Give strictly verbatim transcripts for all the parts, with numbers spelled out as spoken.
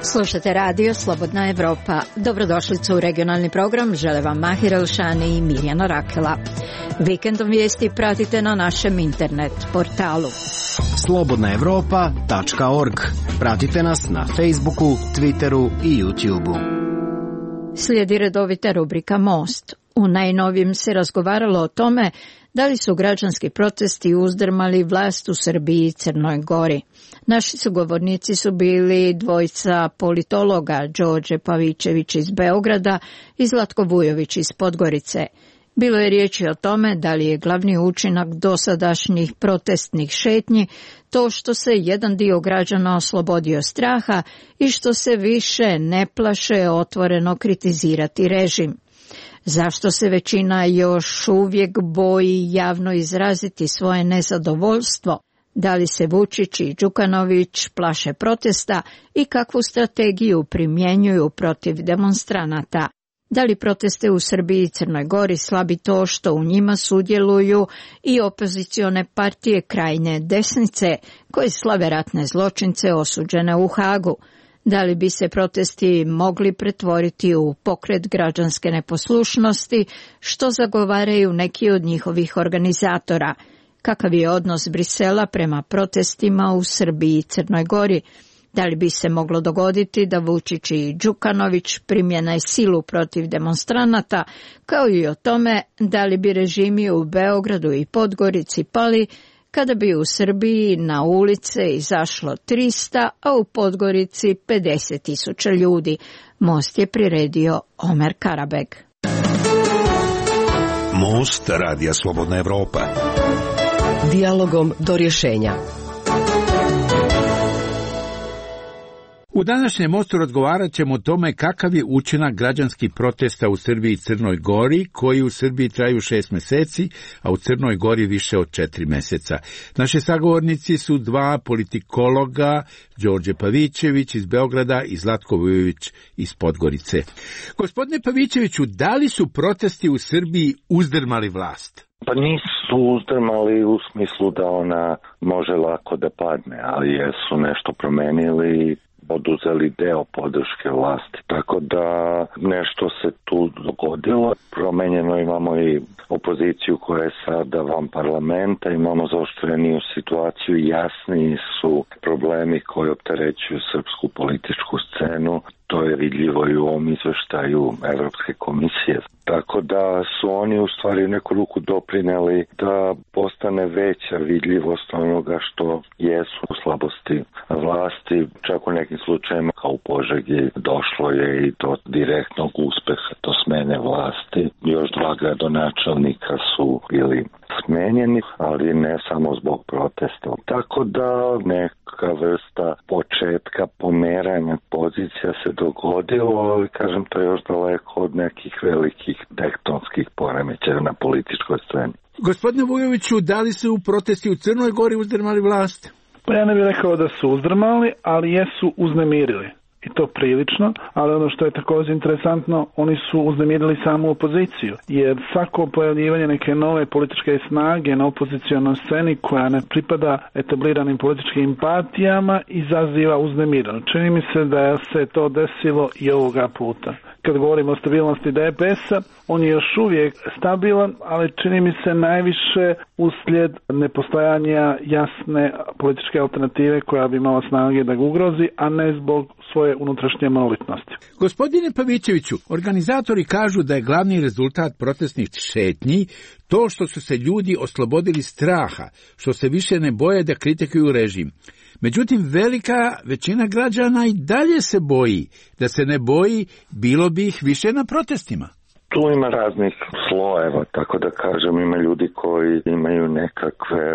Slušate radio Slobodna Evropa. Dobrodošlicu u regionalni program. Žele vam Mahir Elšani i Mirjana Rakela. Vikendom vijesti pratite na našem internet portalu slobodna evropa tačka org. Pratite nas na Facebooku, Twitteru i YouTubeu. Slijedi redovita rubrika Most. U najnovijem se razgovaralo o tome da li su građanski protesti uzdrmali vlast u Srbiji i Crnoj Gori. Naši sugovornici su bili dvojica politologa, Đorđe Pavićević iz Beograda i Zlatko Vujović iz Podgorice. Bilo je riječi o tome da li je glavni učinak dosadašnjih protestnih šetnji to što se jedan dio građana oslobodio straha i što se više ne plaše otvoreno kritizirati režim. Zašto se većina još uvijek boji javno izraziti svoje nezadovoljstvo? Da li se Vučić i Đukanović plaše protesta i kakvu strategiju primjenjuju protiv demonstranata? Da li proteste u Srbiji i Crnoj Gori slabi to što u njima sudjeluju i opozicione partije krajnje desnice koje slave ratne zločince osuđene u Hagu? Da li bi se protesti mogli pretvoriti u pokret građanske neposlušnosti, što zagovaraju neki od njihovih organizatora? Kakav je odnos Brisela prema protestima u Srbiji i Crnoj Gori? Da li bi se moglo dogoditi da Vučić i Đukanović primjene silu protiv demonstranata, kao i o tome da li bi režimi u Beogradu i Podgorici pali kada bi u Srbiji na ulice izašlo trista, a u Podgorici pedeset tisuća ljudi. Most je priredio Omer Karabeg. Most radija Slobodna Evropa. Dijalogom do rješenja. U današnjem mostu razgovarat ćemo o tome kakav je učinak građanskih protesta u Srbiji i Crnoj Gori, koji u Srbiji traju šest mjeseci, a u Crnoj Gori više od četiri mjeseca. Naši sagovornici su dva politikologa, Đorđe Pavićević iz Beograda i Zlatko Vujović iz Podgorice. Gospodine Pavićeviću, da li su protesti u Srbiji uzdrmali vlast? Pa nisu uzdrmali u smislu da ona može lako da padne, ali jesu nešto promenili, oduzeli deo podrške vlasti. Tako da nešto se tu dogodilo. Promenjeno imamo i opoziciju koja je sada van parlamenta, imamo zaoštreniju situaciju, jasniji su problemi koji opterećuju srpsku političku scenu. To je vidljivo i u ovom izveštaju Evropske komisije. Tako da su oni u stvari u neku ruku doprineli da postane veća vidljivost onoga što jesu slabosti vlasti. Čak u nekim slučajima kao u Požegi došlo je i do direktnog uspeha, do smene vlasti. Još dva gradonačelnika su bili smenjeni, ali ne samo zbog protesta. Tako da neka vrsta početka pomeranja pozicija se dogodilo, ali kažem to je još daleko od nekih velikih tektonskih poremećaja na političkoj sceni. Gospodine Vujoviću, da li su protesti u Crnoj Gori uzdrmali vlast? Pa ja ne bih rekao da su uzdrmali, ali jesu uznemirili. I to prilično, ali ono što je također interesantno, oni su uznemirili samu opoziciju, jer svako pojavljivanje neke nove političke snage na opozicionoj sceni koja ne pripada etabliranim političkim partijama izaziva uznemireno. Čini mi se da se to desilo i ovoga puta. Kad govorimo o stabilnosti D P S-a, on je još uvijek stabilan, ali čini mi se najviše uslijed nepostojanja jasne političke alternative koja bi imala snage da ga ugrozi, a ne zbog svoje unutrašnje monolitnosti. Gospodine Pavićeviću, organizatori kažu da je glavni rezultat protestnih šetnji to što su se ljudi oslobodili straha, što se više ne boje da kritikuju režim. Međutim, velika većina građana i dalje se boji. Da se ne boji, bilo bi ih više na protestima. Tu ima raznih slojeva, tako da kažem, ima ljudi koji imaju nekakve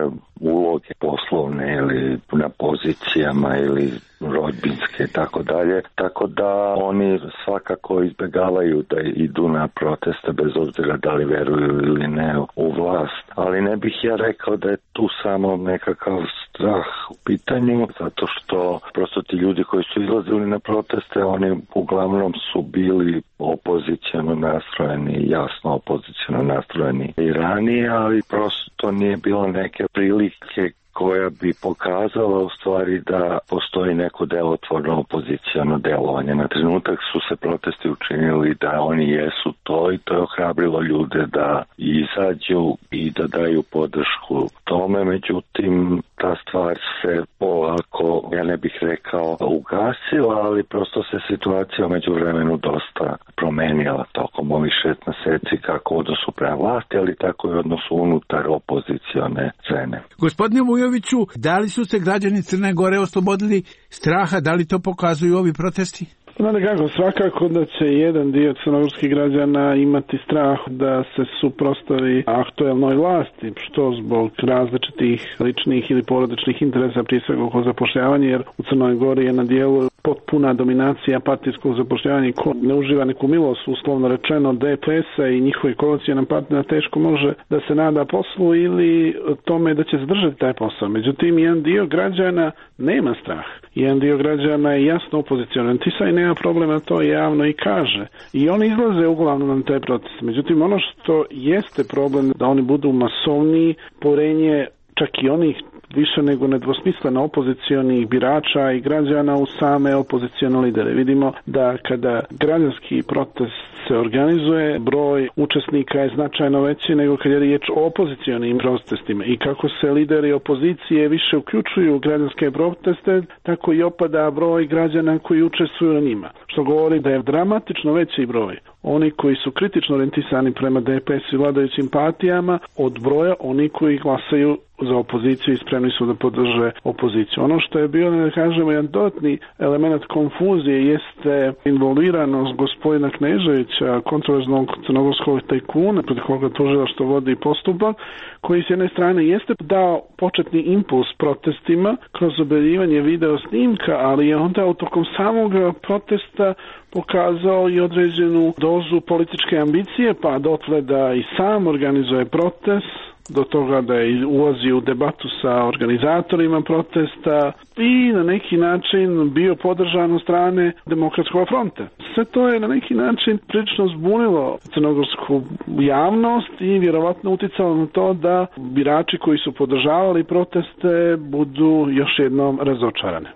uloge poslovne ili na pozicijama ili rodbinske i tako dalje, tako da oni svakako izbjegavaju da idu na proteste bez obzira da li veruju ili ne u vlast. Ali ne bih ja rekao da je tu samo nekakav strah u pitanju, zato što prosto ti ljudi koji su izlazili na proteste, oni uglavnom su bili opoziciono nastrojeni, jasno opoziciono nastrojeni i ranije, ali prosto nije bilo neke prilike koja bi pokazala u stvari da postoji neko delotvorno opoziciono delovanje. Na trenutak su se protesti učinili da oni jesu to i to je ohrabrilo ljude da izađu i da daju podršku tome. Međutim, ta stvar se polako, ja ne bih rekao ugasila, ali prosto se situacija među vremenu dosta promenila tokom ovih šest meseci, kako u odnosu prema vlasti, ali tako i u odnosu unutar opozicione scene. Gospodine Vujoviću, da li su se građani Crne Gore oslobodili straha, da li to pokazuju ovi protesti? Znate kako, svakako da će jedan dio crnogorskih građana imati strah da se suprotstavi aktuelnoj vlasti, što zbog različitih ličnih ili porodičnih interesa, prije svega oko zapošljavanja, jer u Crnoj Gori je na dijelu potpuna dominacija partijskog zapošljavanja, ko ne uživa neku milost, uslovno rečeno D P S-a i njihovi koalicioni partner teško može da se nada poslu ili tome da će zadržati taj posao. Međutim, jedan dio građana nema strah. Jedan dio građana je jasno opozicionan. Tisaj nema problema, to javno i kaže. I oni izlaze uglavnom na te proteste. Međutim, ono što jeste problem da oni budu masovniji, porenje čak i onih više nego nedvosmisleno opozicionih birača i građana u same opozicione lidere. Vidimo da kada građanski protest se organizuje, broj učesnika je značajno veći nego kad je riječ o opozicionim protestima. I kako se lideri opozicije više uključuju u građanske proteste, tako i opada broj građana koji učestvuju na njima. Što govori da je dramatično veći broj oni koji su kritično orijentisani prema D P S i vladajućim partijama od broja oni koji glasaju za opoziciju i spremni su da podrže opoziciju. Ono što je bio, da kažemo, jedan dodatni element konfuzije jeste involviranost gospodina Kneževića, kontroverznog crnogorskog tajkuna, pred koga tužilaštvo vodi postupak, koji s jedne strane jeste dao početni impuls protestima kroz objavljivanje video snimka, ali je onda tokom samog protesta pokazao i određenu dozu političke ambicije, pa dotle da i sam organizuje protest, do toga da je ulazio u debatu sa organizatorima protesta i na neki način bio podržan od strane Demokratskog fronta. Sve to je na neki način prilično zbunilo crnogorsku javnost i vjerovatno uticalo na to da birači koji su podržavali proteste budu još jednom razočarani.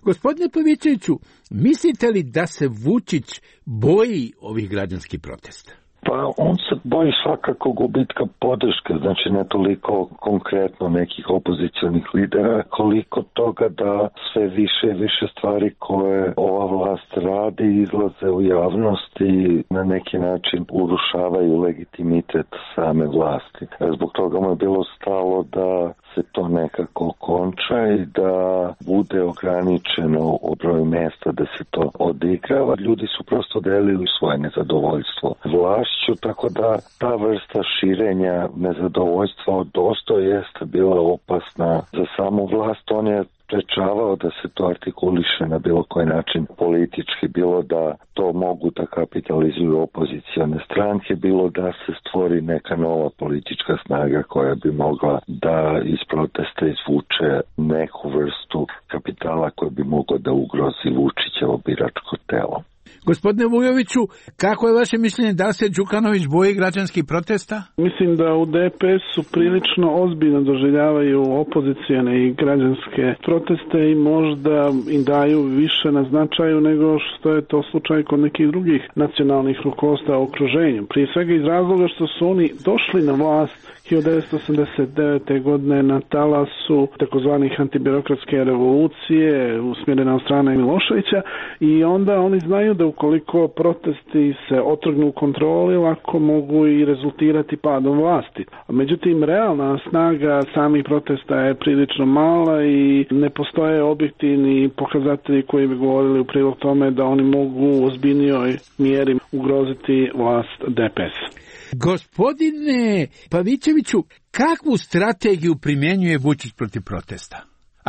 Gospodine Pavićeviću, mislite li da se Vučić boji ovih građanskih protesta? Pa on se boji svakako gubitka podrške, znači ne toliko konkretno nekih opozicionih lidera, koliko toga da sve više i više stvari koje ova vlast radi izlaze u javnost i na neki način urušavaju legitimitet same vlasti. Zbog toga mu je bilo stalo da se to nekako konča i da bude ograničeno u broju mjesta da se to odigrava. Ljudi su prosto delili svoje nezadovoljstvo vlašću, tako da ta vrsta širenja nezadovoljstva dosta jeste bila opasna za samu vlast. On je sprečavao da se to artikuliše na bilo koji način politički, bilo da to mogu da kapitalizuju opozicione stranke, bilo da se stvori neka nova politička snaga koja bi mogla da iz protesta izvuče neku vrstu kapitala koji bi mogao da ugrozi Vučićevo biračko telo. Gospodine Vujoviću, kako je vaše mišljenje, da se Đukanović boji građanskih protesta? Mislim da u D P S-u prilično ozbiljno doživljavaju opozicijone i građanske proteste i možda im daju više na značaju nego što je to slučaj kod nekih drugih nacionalnih rukovodstva u okruženju. Prije svega iz razloga što su oni došli na vlast hiljadu devetsto osamdeset devete. godine na talasu takozvanih antibirokratske revolucije usmjerene od strane Miloševića i onda oni znaju da ukoliko protesti se otrgnu kontroli, lako mogu i rezultirati padom vlasti. Međutim, realna snaga samih protesta je prilično mala i ne postoje objektivni pokazatelji koji bi govorili u prilog tome da oni mogu u ozbiljnijoj mjeri ugroziti vlast D P S. Gospodine Pavićeviću, kakvu strategiju primjenjuje Vučić protiv protesta?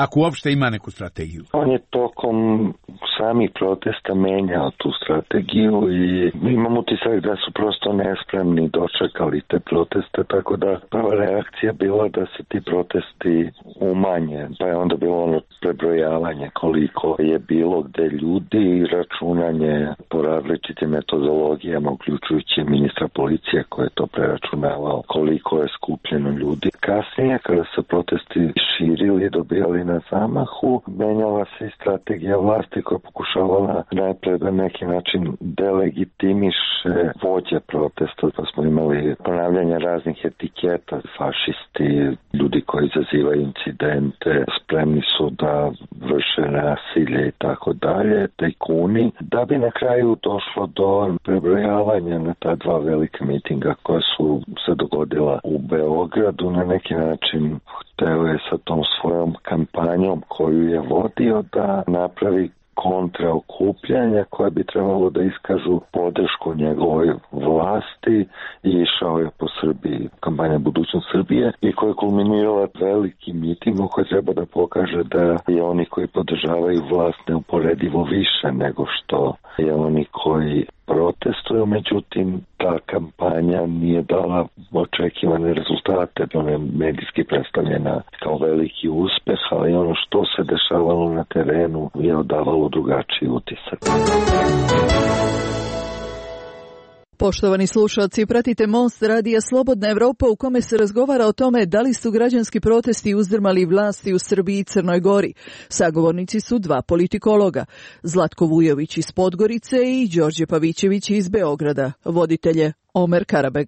ako uopšte ima neku strategiju? On je tokom samih protesta menjao tu strategiju i imam utisak da su prosto nespremni dočekali te proteste, tako da prva reakcija bila da se ti protesti umanje, pa je onda bilo ono prebrojavanje koliko je bilo gde ljudi i računanje po različitim metodologijama, uključujući ministra policije koji je to preračunavao koliko je skupljeno ljudi. Kasnije, kada se protesti širili i dobijali na zamahu, menjala se i strategija vlasti koja pokušavala najpre da neki način delegitimiše vođe protesta, pa smo imali ponavljanje raznih etiketa, fašisti, ljudi koji izazivaju incidente, spremni su da vrše nasilje i tako dalje, tajkuni, da bi na kraju došlo do prebrojavanja na ta dva velika mitinga koja su se dogodila u Beogradu. Na neki način hteo je sa tom svojom kampanjom koju je vodio da napravi kontraokupljanja koje bi trebalo da iskažu podršku njegovoj vlasti i išao je po Srbiji, kampanja Budućnost Srbije, i koja je kulminirala velikim mitingom koji treba da pokaže da je oni koji podržavaju vlast neuporedivo više nego što je oni koji protestuju. Međutim, ta kampanja nije dala očekivane rezultate. Ona je medijski predstavljena kao veliki uspeh, ali ono što se dešavalo na terenu je odavalo drugačiji utisak. Poštovani slušalci, pratite Most radija Slobodna Evropa u kome se razgovara o tome da li su građanski protesti uzdrmali vlasti u Srbiji i Crnoj Gori. Sagovornici su dva politikologa, Zlatko Vujović iz Podgorice i Đorđe Pavićević iz Beograda. Voditelje Omer Karabeg.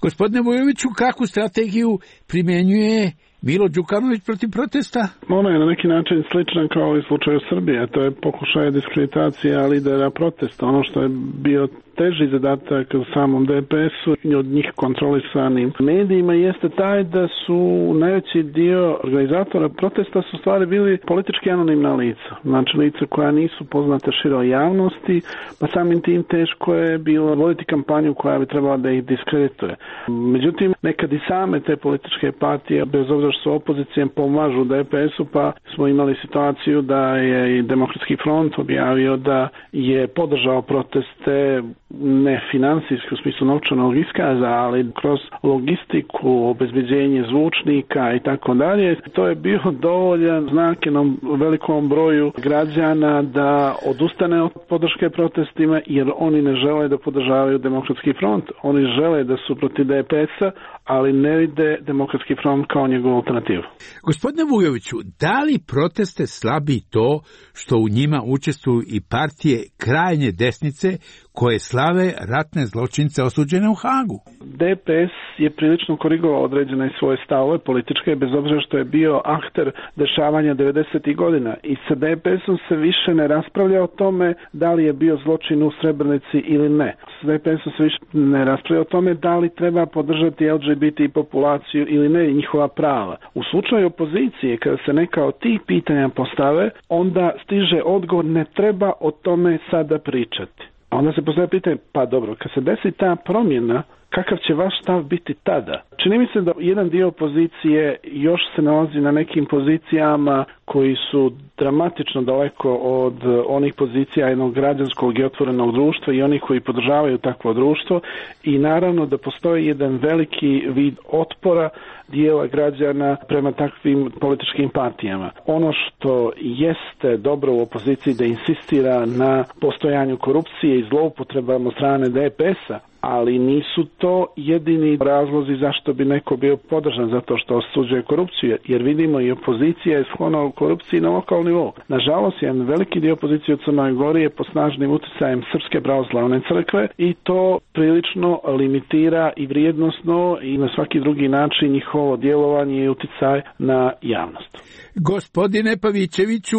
Gospodine Vujoviću, kakvu strategiju primjenjuje Milo Đukanović protiv protesta? Ona je na neki način slična kao i u slučaju Srbije. To je pokušaj diskreditacija lidera protesta. Ono što je bio teži zadatak u samom D P S-u i od njih kontrolisanim medijima jeste taj da su najveći dio organizatora protesta su stvari bili politički anonimna lica. Znači lica koja nisu poznate široj javnosti, pa samim tim teško je bilo voditi kampanju koja bi trebala da ih diskredituje. Međutim, nekad i same te političke partije, bez obzira što su opozicije, pomažu D P S-u, pa smo imali situaciju da je i Demokratski front objavio da je podržao proteste ne finansijski u smislu novčanog iskaza, ali kroz logistiku, obezbeđenje zvučnika i tako dalje. To je bio dovoljan znak jednom velikom broju građana da odustane od podrške protestima, jer oni ne žele da podržavaju Demokratski front. Oni žele da su protiv D P S-a, ali ne vide Demokratski front kao njegovu alternativu. Gospodine Vujoviću, da li proteste slabi to što u njima učestvuju i partije krajnje desnice koje slave ratne zločince osuđene u Hagu? D P S je prilično korigovao određene svoje stavove političke, bez obzira što je bio akter dešavanja devedesetih godina. I sa D P S-om se više ne raspravlja o tome da li je bio zločin u Srebrenici ili ne. Sa D P S-om se više ne raspravlja o tome da li treba podržati L G B T populaciju ili ne, njihova prava. U slučaju opozicije, kada se neka od tih pitanja postave, onda stiže odgovor: ne treba o tome sada pričati. Onda se postavlja pitanje, pa dobro, kad se desi ta promjena, kakav će vaš stav biti tada? Čini mi se da jedan dio opozicije još se nalazi na nekim pozicijama koji su dramatično daleko od onih pozicija jednog građanskog i otvorenog društva i onih koji podržavaju takvo društvo, i naravno da postoji jedan veliki vid otpora dijela građana prema takvim političkim partijama. Ono što jeste dobro u opoziciji da insistira na postojanju korupcije i zloupotrebama od strane D P S-a, ali nisu to jedini razlozi zašto bi neko bio podržan zato što osuđuje korupciju, jer vidimo i opozicija je sklona u korupciji na lokalnom nivou. Nažalost, jedan veliki dio opozicije u Crnoj Gori je pod snažnim utjecajem Srpske pravoslavne crkve i to prilično limitira i vrijednosno i na svaki drugi način njihovo djelovanje i utjecaj na javnost. Gospodine Pavićeviću,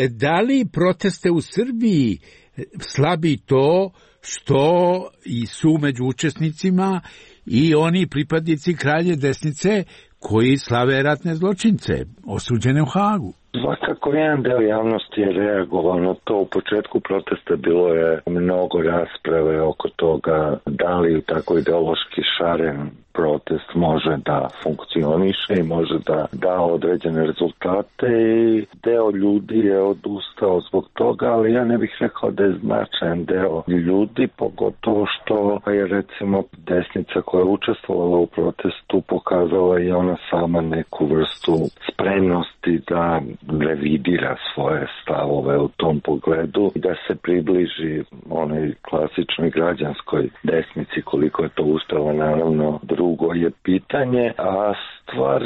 da li proteste u Srbiji slabi to što i su među učesnicima i oni pripadnici krajnje desnice koji slave ratne zločince osuđene u Hagu? Svakako jedan deo javnosti je reagovao na to. U početku protesta bilo je mnogo rasprave oko toga da li tako ideološki šaren protest može da funkcioniše i može da da određene rezultate i deo ljudi je odustao zbog toga, ali ja ne bih rekao da je značajan deo ljudi, pogotovo što je recimo desnica koja je učestvovala u protestu pokazala i ona sama neku vrstu spremnosti da revidira svoje stavove u tom pogledu i da se približi onoj klasičnoj građanskoj desnici, koliko je to uspelo, naravno drugo je pitanje, a stvar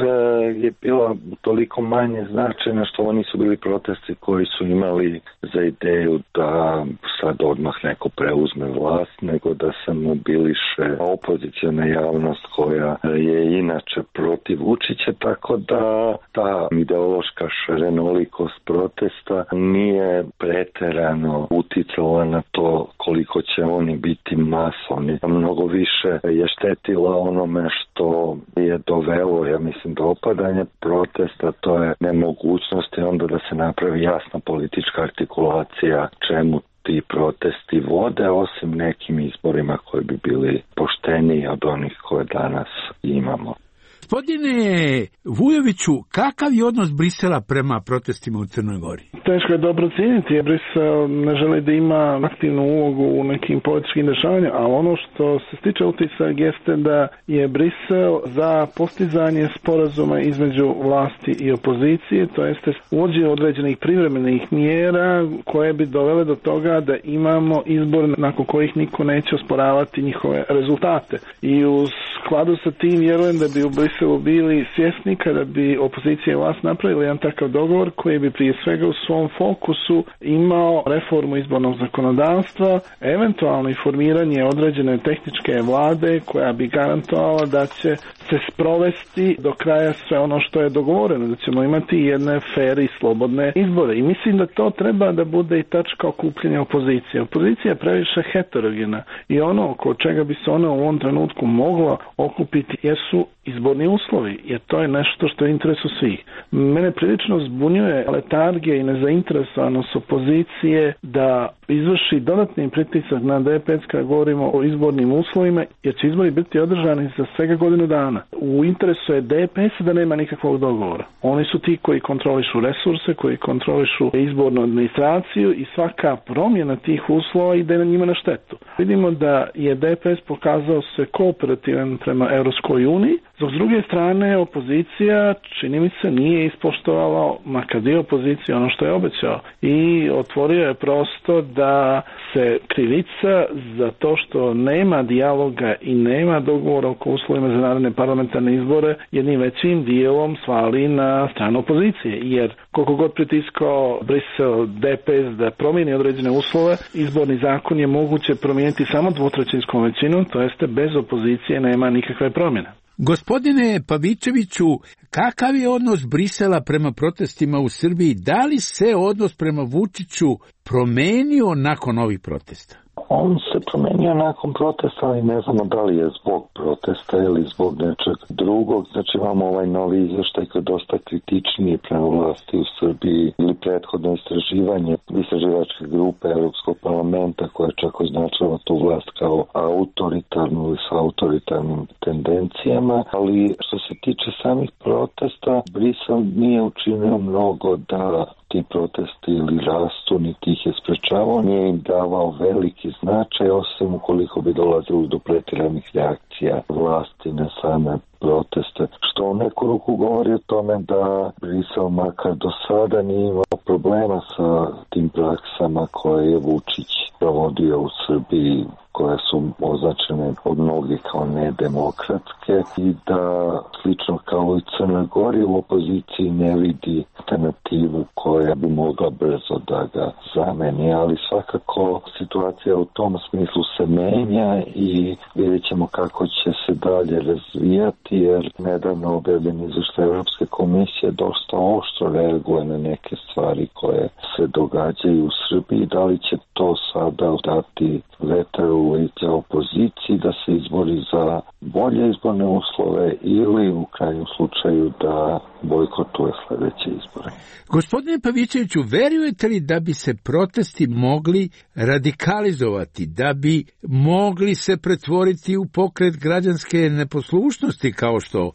je bila toliko manje značajna što ovo nisu bili protesti koji su imali za ideju da sad odmah neko preuzme vlast, nego da se mobiliše opozicijona javnost koja je inače protiv Vučića, tako da ta ideološka šarenolikost protesta nije preterano uticala na to koliko će oni biti masovni. Mnogo više je štetila onome što je dovelo, ja mislim, do opadanja protesta, to je nemogućnost i onda da se napravi jasna politička artikulacija čemu ti protesti vode, osim nekim izborima koji bi bili pošteniji od onih koje danas imamo. Gospodine Vujoviću, kakav je odnos Brisela prema protestima u Crnoj Gori? Teško je dobro cijeniti, jer Brisel ne želi da ima aktivnu ulogu u nekim političkim dešavanjima, ali ono što se stiče utisak jeste da je Brisel za postizanje sporazuma između vlasti i opozicije, to jeste uvođenje određenih privremenih mjera koje bi dovele do toga da imamo izbor nakon kojih niko neće osporavati njihove rezultate. I u skladu sa tim vjerujem da bi u Briselu bili svjesni kada bi opozicija i vlast napravili jedan takav dogovor koji bi prije svega u svom fokusu imao reformu izbornog zakonodavstva, eventualno i formiranje određene tehničke vlade koja bi garantovala da će se sprovesti do kraja sve ono što je dogovoreno, da ćemo imati jedne fer i slobodne izbore. I mislim da to treba da bude i tačka okupljanja opozicije. Opozicija je previše heterogena i ono oko čega bi se ona u ovom trenutku mogla okupiti jesu izborni uslovi, jer to je nešto što je interesu svih. Mene prilično zbunjuje letargija i nezainteresovanost opozicije da izvrši dodatni pritisak na D P S kada govorimo o izbornim uslovima, jer će izbori biti održani za svega godinu dana. U interesu je D P S da nema nikakvog dogovora. Oni su ti koji kontrolišu resurse, koji kontrolišu izbornu administraciju i svaka promjena tih uslova ide na njima na štetu. Vidimo da je D P S pokazao se kooperativan prema Europskoj uniji, dok s druge strane opozicija, čini mi se, nije ispoštovala makar dio opozicije ono što je obećao i otvorio je prostor da se krivica za to što nema dijaloga i nema dogovora oko uslovima za naredne parlamentarne izbore jednim većim dijelom svali na stranu opozicije, jer koliko god pritiskao Brisel D P S da promijeni određene uslove, izborni zakon je moguće promijeniti samo dvotrećinskom većinom, to jeste bez opozicije nema nikakve promjene. Gospodine Pavičeviću, kakav je odnos Brisela prema protestima u Srbiji? Da li se odnos prema Vučiću promenio nakon ovih protesta? On se promenio nakon protesta, ali ne znamo da li je zbog protesta ili zbog nečeg drugog. Znači imamo ovaj novi izvještaj koji je dosta kritičniji prema vlasti u Srbiji ili prethodno istraživanje istraživačke grupe Europskog parlamenta koja je čak označila tu vlast kao autoritarnu ili sa autoritarnim tendencijama. Ali što se tiče samih protesta, Brisel nije učinio mnogo da ti protesti ili rastu, niti ih je sprečavao, nije im davao veliki značaj, osim ukoliko bi dolazilo do pretjeranih reakcija vlasti na same proteste, što u neku ruku govori o tome da Brisel makar do sada nije imao problema sa tim praksama koje je Vučić provodio u Srbiji, koje su označene od mnogih kao nedemokratske i da slično kao i Crnoj Gori u opoziciji ne vidi alternativu koja bi mogla brzo da ga zameni, ali svakako situacija u tom smislu se menja i vidjet ćemo kako će se dalje razvijati, jer nedavno objavljeni izvještaj Europske komisije dosta oštro reaguje na neke stvari koje se događaju u Srbiji. Da li će to sada dati vetar u lice opoziciji da se izbori za bolje bolje izborne uslove ili u krajnjem slučaju da bojkotuje sljedeće izbore. Gospodine Pavićeviću, verujete li da bi se protesti mogli radikalizovati, da bi mogli se pretvoriti u pokret građanske neposlušnosti, kao što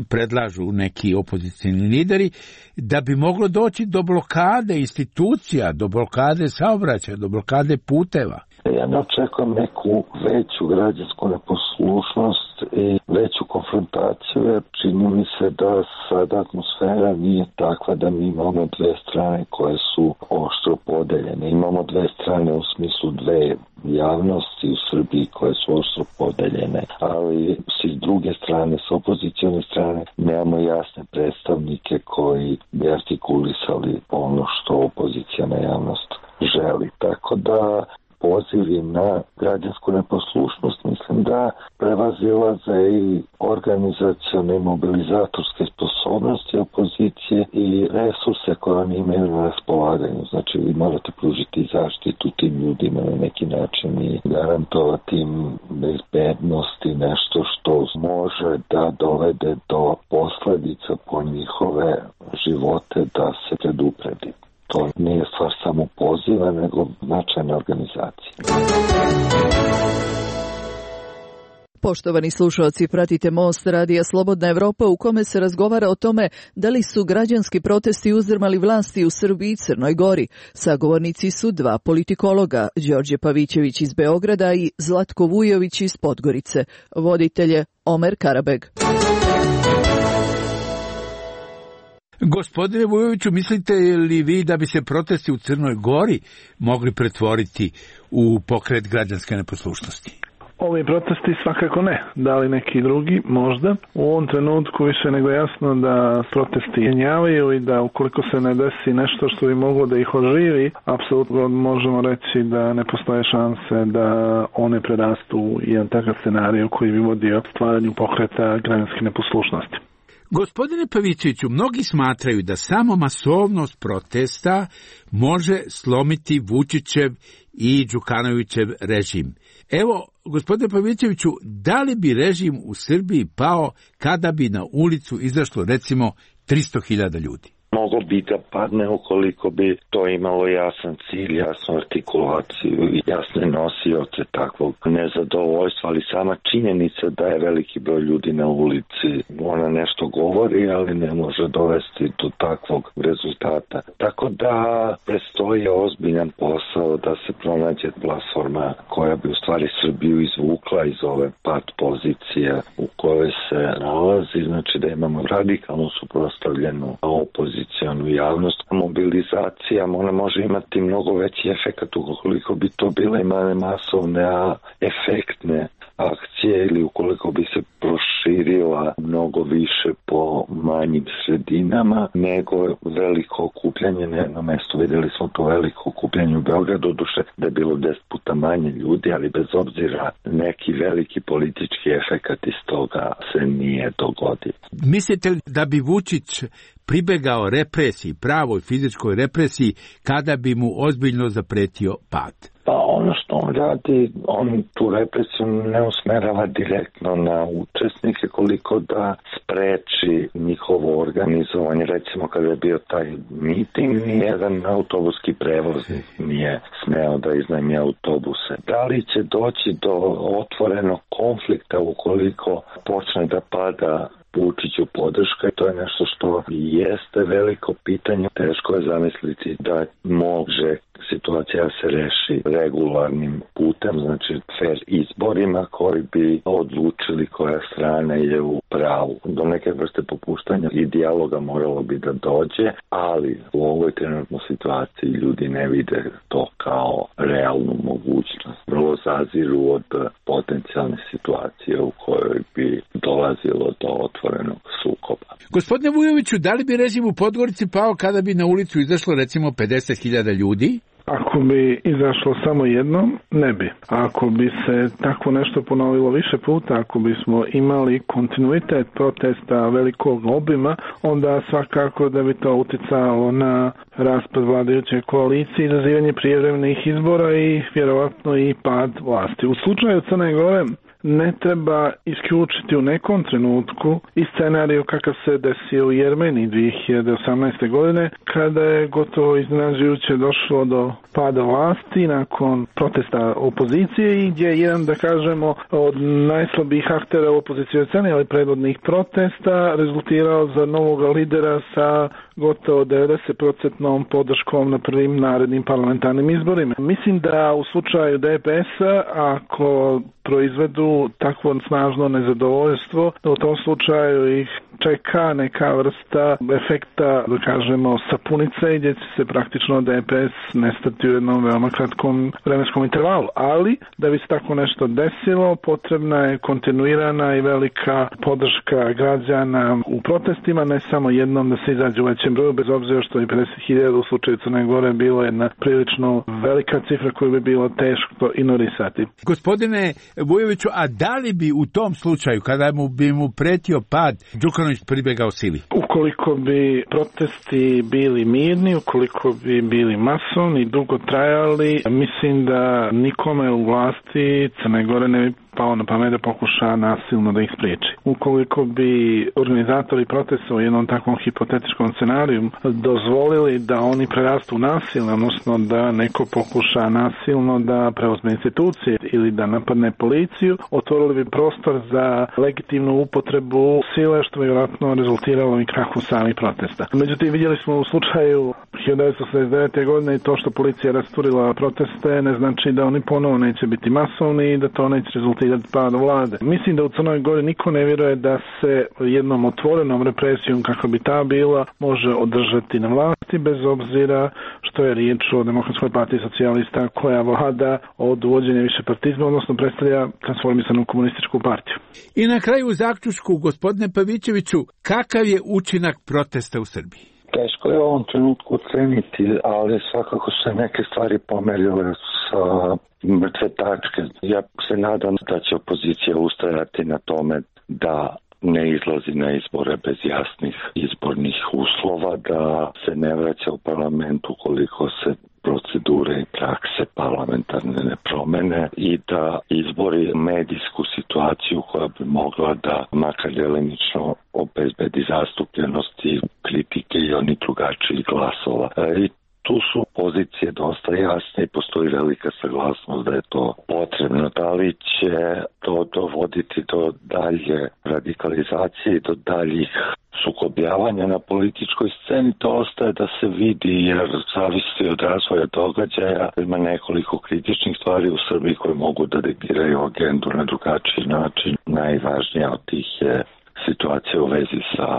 predlažu neki opozicijni lideri, da bi moglo doći do blokade institucija, do blokade saobraćaja, do blokade puteva? Ja ne očekujem neku veću građansku neposlušnost i veću konfrontaciju, jer čini mi se da sada atmosfera nije takva da mi imamo dve strane koje su oštro podeljene. Imamo dve strane u smislu dve javnosti u Srbiji koje su oštro podeljene, ali s druge strane, s opozicione strane, nemamo jasne predstavnike koji bi artikulisali ono što opozicijna javnost želi. Tako da pozivi na građansku neposlušnost mislim da prevazilaze i organizacione i mobilizatorske sposobnosti opozicije i resurse koje oni imaju na raspolaganju. Znači vi morate pružiti zaštitu tim ljudima na neki način i garantovati im bezbednost i nešto što može da dovede do posljedica po njihove živote da se predupredi. To nije stvar samo poziva, nego značajne organizacije. Poštovani slušalci, pratite Most radija Slobodna Evropa u kome se razgovara o tome da li su građanski protesti uzdrmali vlasti u Srbiji i Crnoj Gori. Sagovornici su dva politikologa, Đorđe Pavićević iz Beograda i Zlatko Vujović iz Podgorice. Voditelje Omer Karabeg. Gospodine Vujoviću, mislite li vi da bi se protesti u Crnoj Gori mogli pretvoriti u pokret građanske neposlušnosti? Ovi protesti svakako ne. Da li neki drugi? Možda. U ovom trenutku više nego jasno da protesti jenjavaju i da ukoliko se ne desi nešto što bi moglo da ih oživi, apsolutno možemo reći da ne postoje šanse da one prerastu u jedan takav scenarij koji bi vodio stvaranju pokreta građanske neposlušnosti. Gospodine Pavićeviću, mnogi smatraju da samo masovnost protesta može slomiti Vučićev i Đukanovićev režim. Evo, gospodine Pavićeviću, da li bi režim u Srbiji pao kada bi na ulicu izašlo recimo tristo hiljada ljudi? Mogo bi da padne ukoliko bi to imalo jasan cilj, jasnu artikulaciju i jasne nosioce takvog nezadovoljstva, ali sama činjenica da je veliki broj ljudi na ulici, ona nešto govori, ali ne može dovesti do takvog rezultata. Tako da prestoji ozbiljan posao da se pronađe platforma koja bi u stvari Srbiju izvukla iz ove pad pozicije u kojoj se nalazi, znači da imamo radikalno suprotstavljenu opoziciju javnost. Mobilizacija ona može imati mnogo veći efekt ukoliko bi to bile imale masovne, a efektne akcije ili ukoliko bi se proširila mnogo više po manjim sredinama nego veliko okupljanje na jednom mestu. Vidjeli smo to veliko okupljanje u Beogradu, doduše da je bilo deset puta manje ljudi, ali bez obzira neki veliki politički efekt iz toga se nije dogodio. Mislite li da bi Vučić pribegao represiji, pravoj fizičkoj represiji, kada bi mu ozbiljno zapretio pad? Pa ono što on radi, on tu represiju ne usmerava direktno na učesnike, koliko da spreči njihovo organizovanje. Recimo kada je bio taj miting, nijedan autobuski prevoznik nije smeo da iznajmi autobuse. Da li će doći do otvorenog konflikta ukoliko počne da pada Vučiću podrška, i to je nešto što jeste veliko pitanje. Teško je zamisliti da može situacija se reši regularnim putem, znači fair izborima koji bi odlučili koja strana je u pravu. Do neke vrste popuštanja i dijaloga moralo bi da dođe, ali u ovoj trenutnoj situaciji ljudi ne vide to kao realnu mogućnost. Vrlo zaziru od potencijalne situacije u kojoj bi dolazilo do otvorenog sukoba. Gospodine Vujoviću, da li bi režim u Podgorici pao kada bi na ulicu izašlo recimo pedeset hiljada ljudi? Ako bi izašlo samo jednom, ne bi. Ako bi se tako nešto ponovilo više puta, ako bismo imali kontinuitet protesta velikog obima, onda svakako da bi to uticalo na raspad vladajuće koalicije, izazivanje prijevremenih izbora i vjerovatno i pad vlasti. U slučaju Crne Gore ne treba isključiti u nekom trenutku i scenariju kakav se desio u Jermeniji dvije hiljade osamnaeste. godine, kada je gotovo iznenađujuće došlo do pada vlasti nakon protesta opozicije i gdje je jedan, da kažemo, od najslabijih aktera u opozicijoj sceni, ali predvodnih protesta, rezultirao za novog lidera sa gotovo devedeset posto podrškom na prvim narednim parlamentarnim izborima. Mislim da u slučaju D P S-a, ako proizvedu takvo snažno nezadovoljstvo, da u tom slučaju ih čeka neka vrsta efekta, da kažemo, sapunice, gdje će se praktično D P S nestati u jednom veoma kratkom vremenskom intervalu. Ali, da bi se tako nešto desilo, potrebna je kontinuirana i velika podrška građana u protestima, ne samo jednom da se izađe u većem broju, bez obzira što je pedeset hiljada u slučaju Crne Gore bilo jedna prilično velika cifra koju bi bilo teško ignorisati. Gospodine Vujoviću, a da li bi u tom slučaju, kada mu bi mu pretio pad, Đukanović pribjegao sili? Ukoliko bi protesti bili mirni, ukoliko bi bili masovni, dugo trajali, mislim da nikome u vlasti Crne Gore ne bi pao na pamet da pokuša nasilno da ih spriječi. Ukoliko bi organizatori protesta u jednom takvom hipotetičkom scenariju dozvolili da oni prerastu nasilno, odnosno da neko pokuša nasilno da preuzme institucije ili da napadne policiju, otvorili bi prostor za legitimnu upotrebu sile, što bi vjerojatno rezultiralo i krahu samih protesta. Međutim, vidjeli smo u slučaju hiljadu devetsto osamdeset devete. godine i to što policija rasturila proteste ne znači da oni ponovo neće biti masovni i da to neće rezultirati pada vlade. Mislim da u Crnoj Gori niko ne vjeruje da se jednom otvorenom represijom, kako bi ta bila, može održati na vlasti, bez obzira što je riječ o Demokratskoj partiji socijalista koja vlada od uvođenja višepartizma, odnosno predstavlja transformisanu komunističku partiju. I na kraju u zaključku, gospodine Pavićeviću, kakav je učinak protesta u Srbiji? Teško je u ovom trenutku oceniti, ali svakako se neke stvari pomerile sa mrtve tačke. Ja se nadam da će opozicija ustrajati na tome da ne izlazi na izbore bez jasnih izbornih uslova, da se ne vraća u parlament ukoliko se procedure i prakse parlamentarne ne promene i da izbori medijsku situaciju koja bi mogla da makar delimično obezbedi zastupljenosti kritike i oni drugačijih glasova. I tu su pozicije dosta jasne i postoji velika saglasnost da je to potrebno. Da li će to dovoditi do dalje radikalizacije i do daljih sukobljavanja na političkoj sceni, to ostaje da se vidi, jer zavisi od razvoja događaja. Ima nekoliko kritičnih stvari u Srbiji koje mogu da diktiraju agendu na drugačiji način. Najvažnija od tih je situacija u vezi sa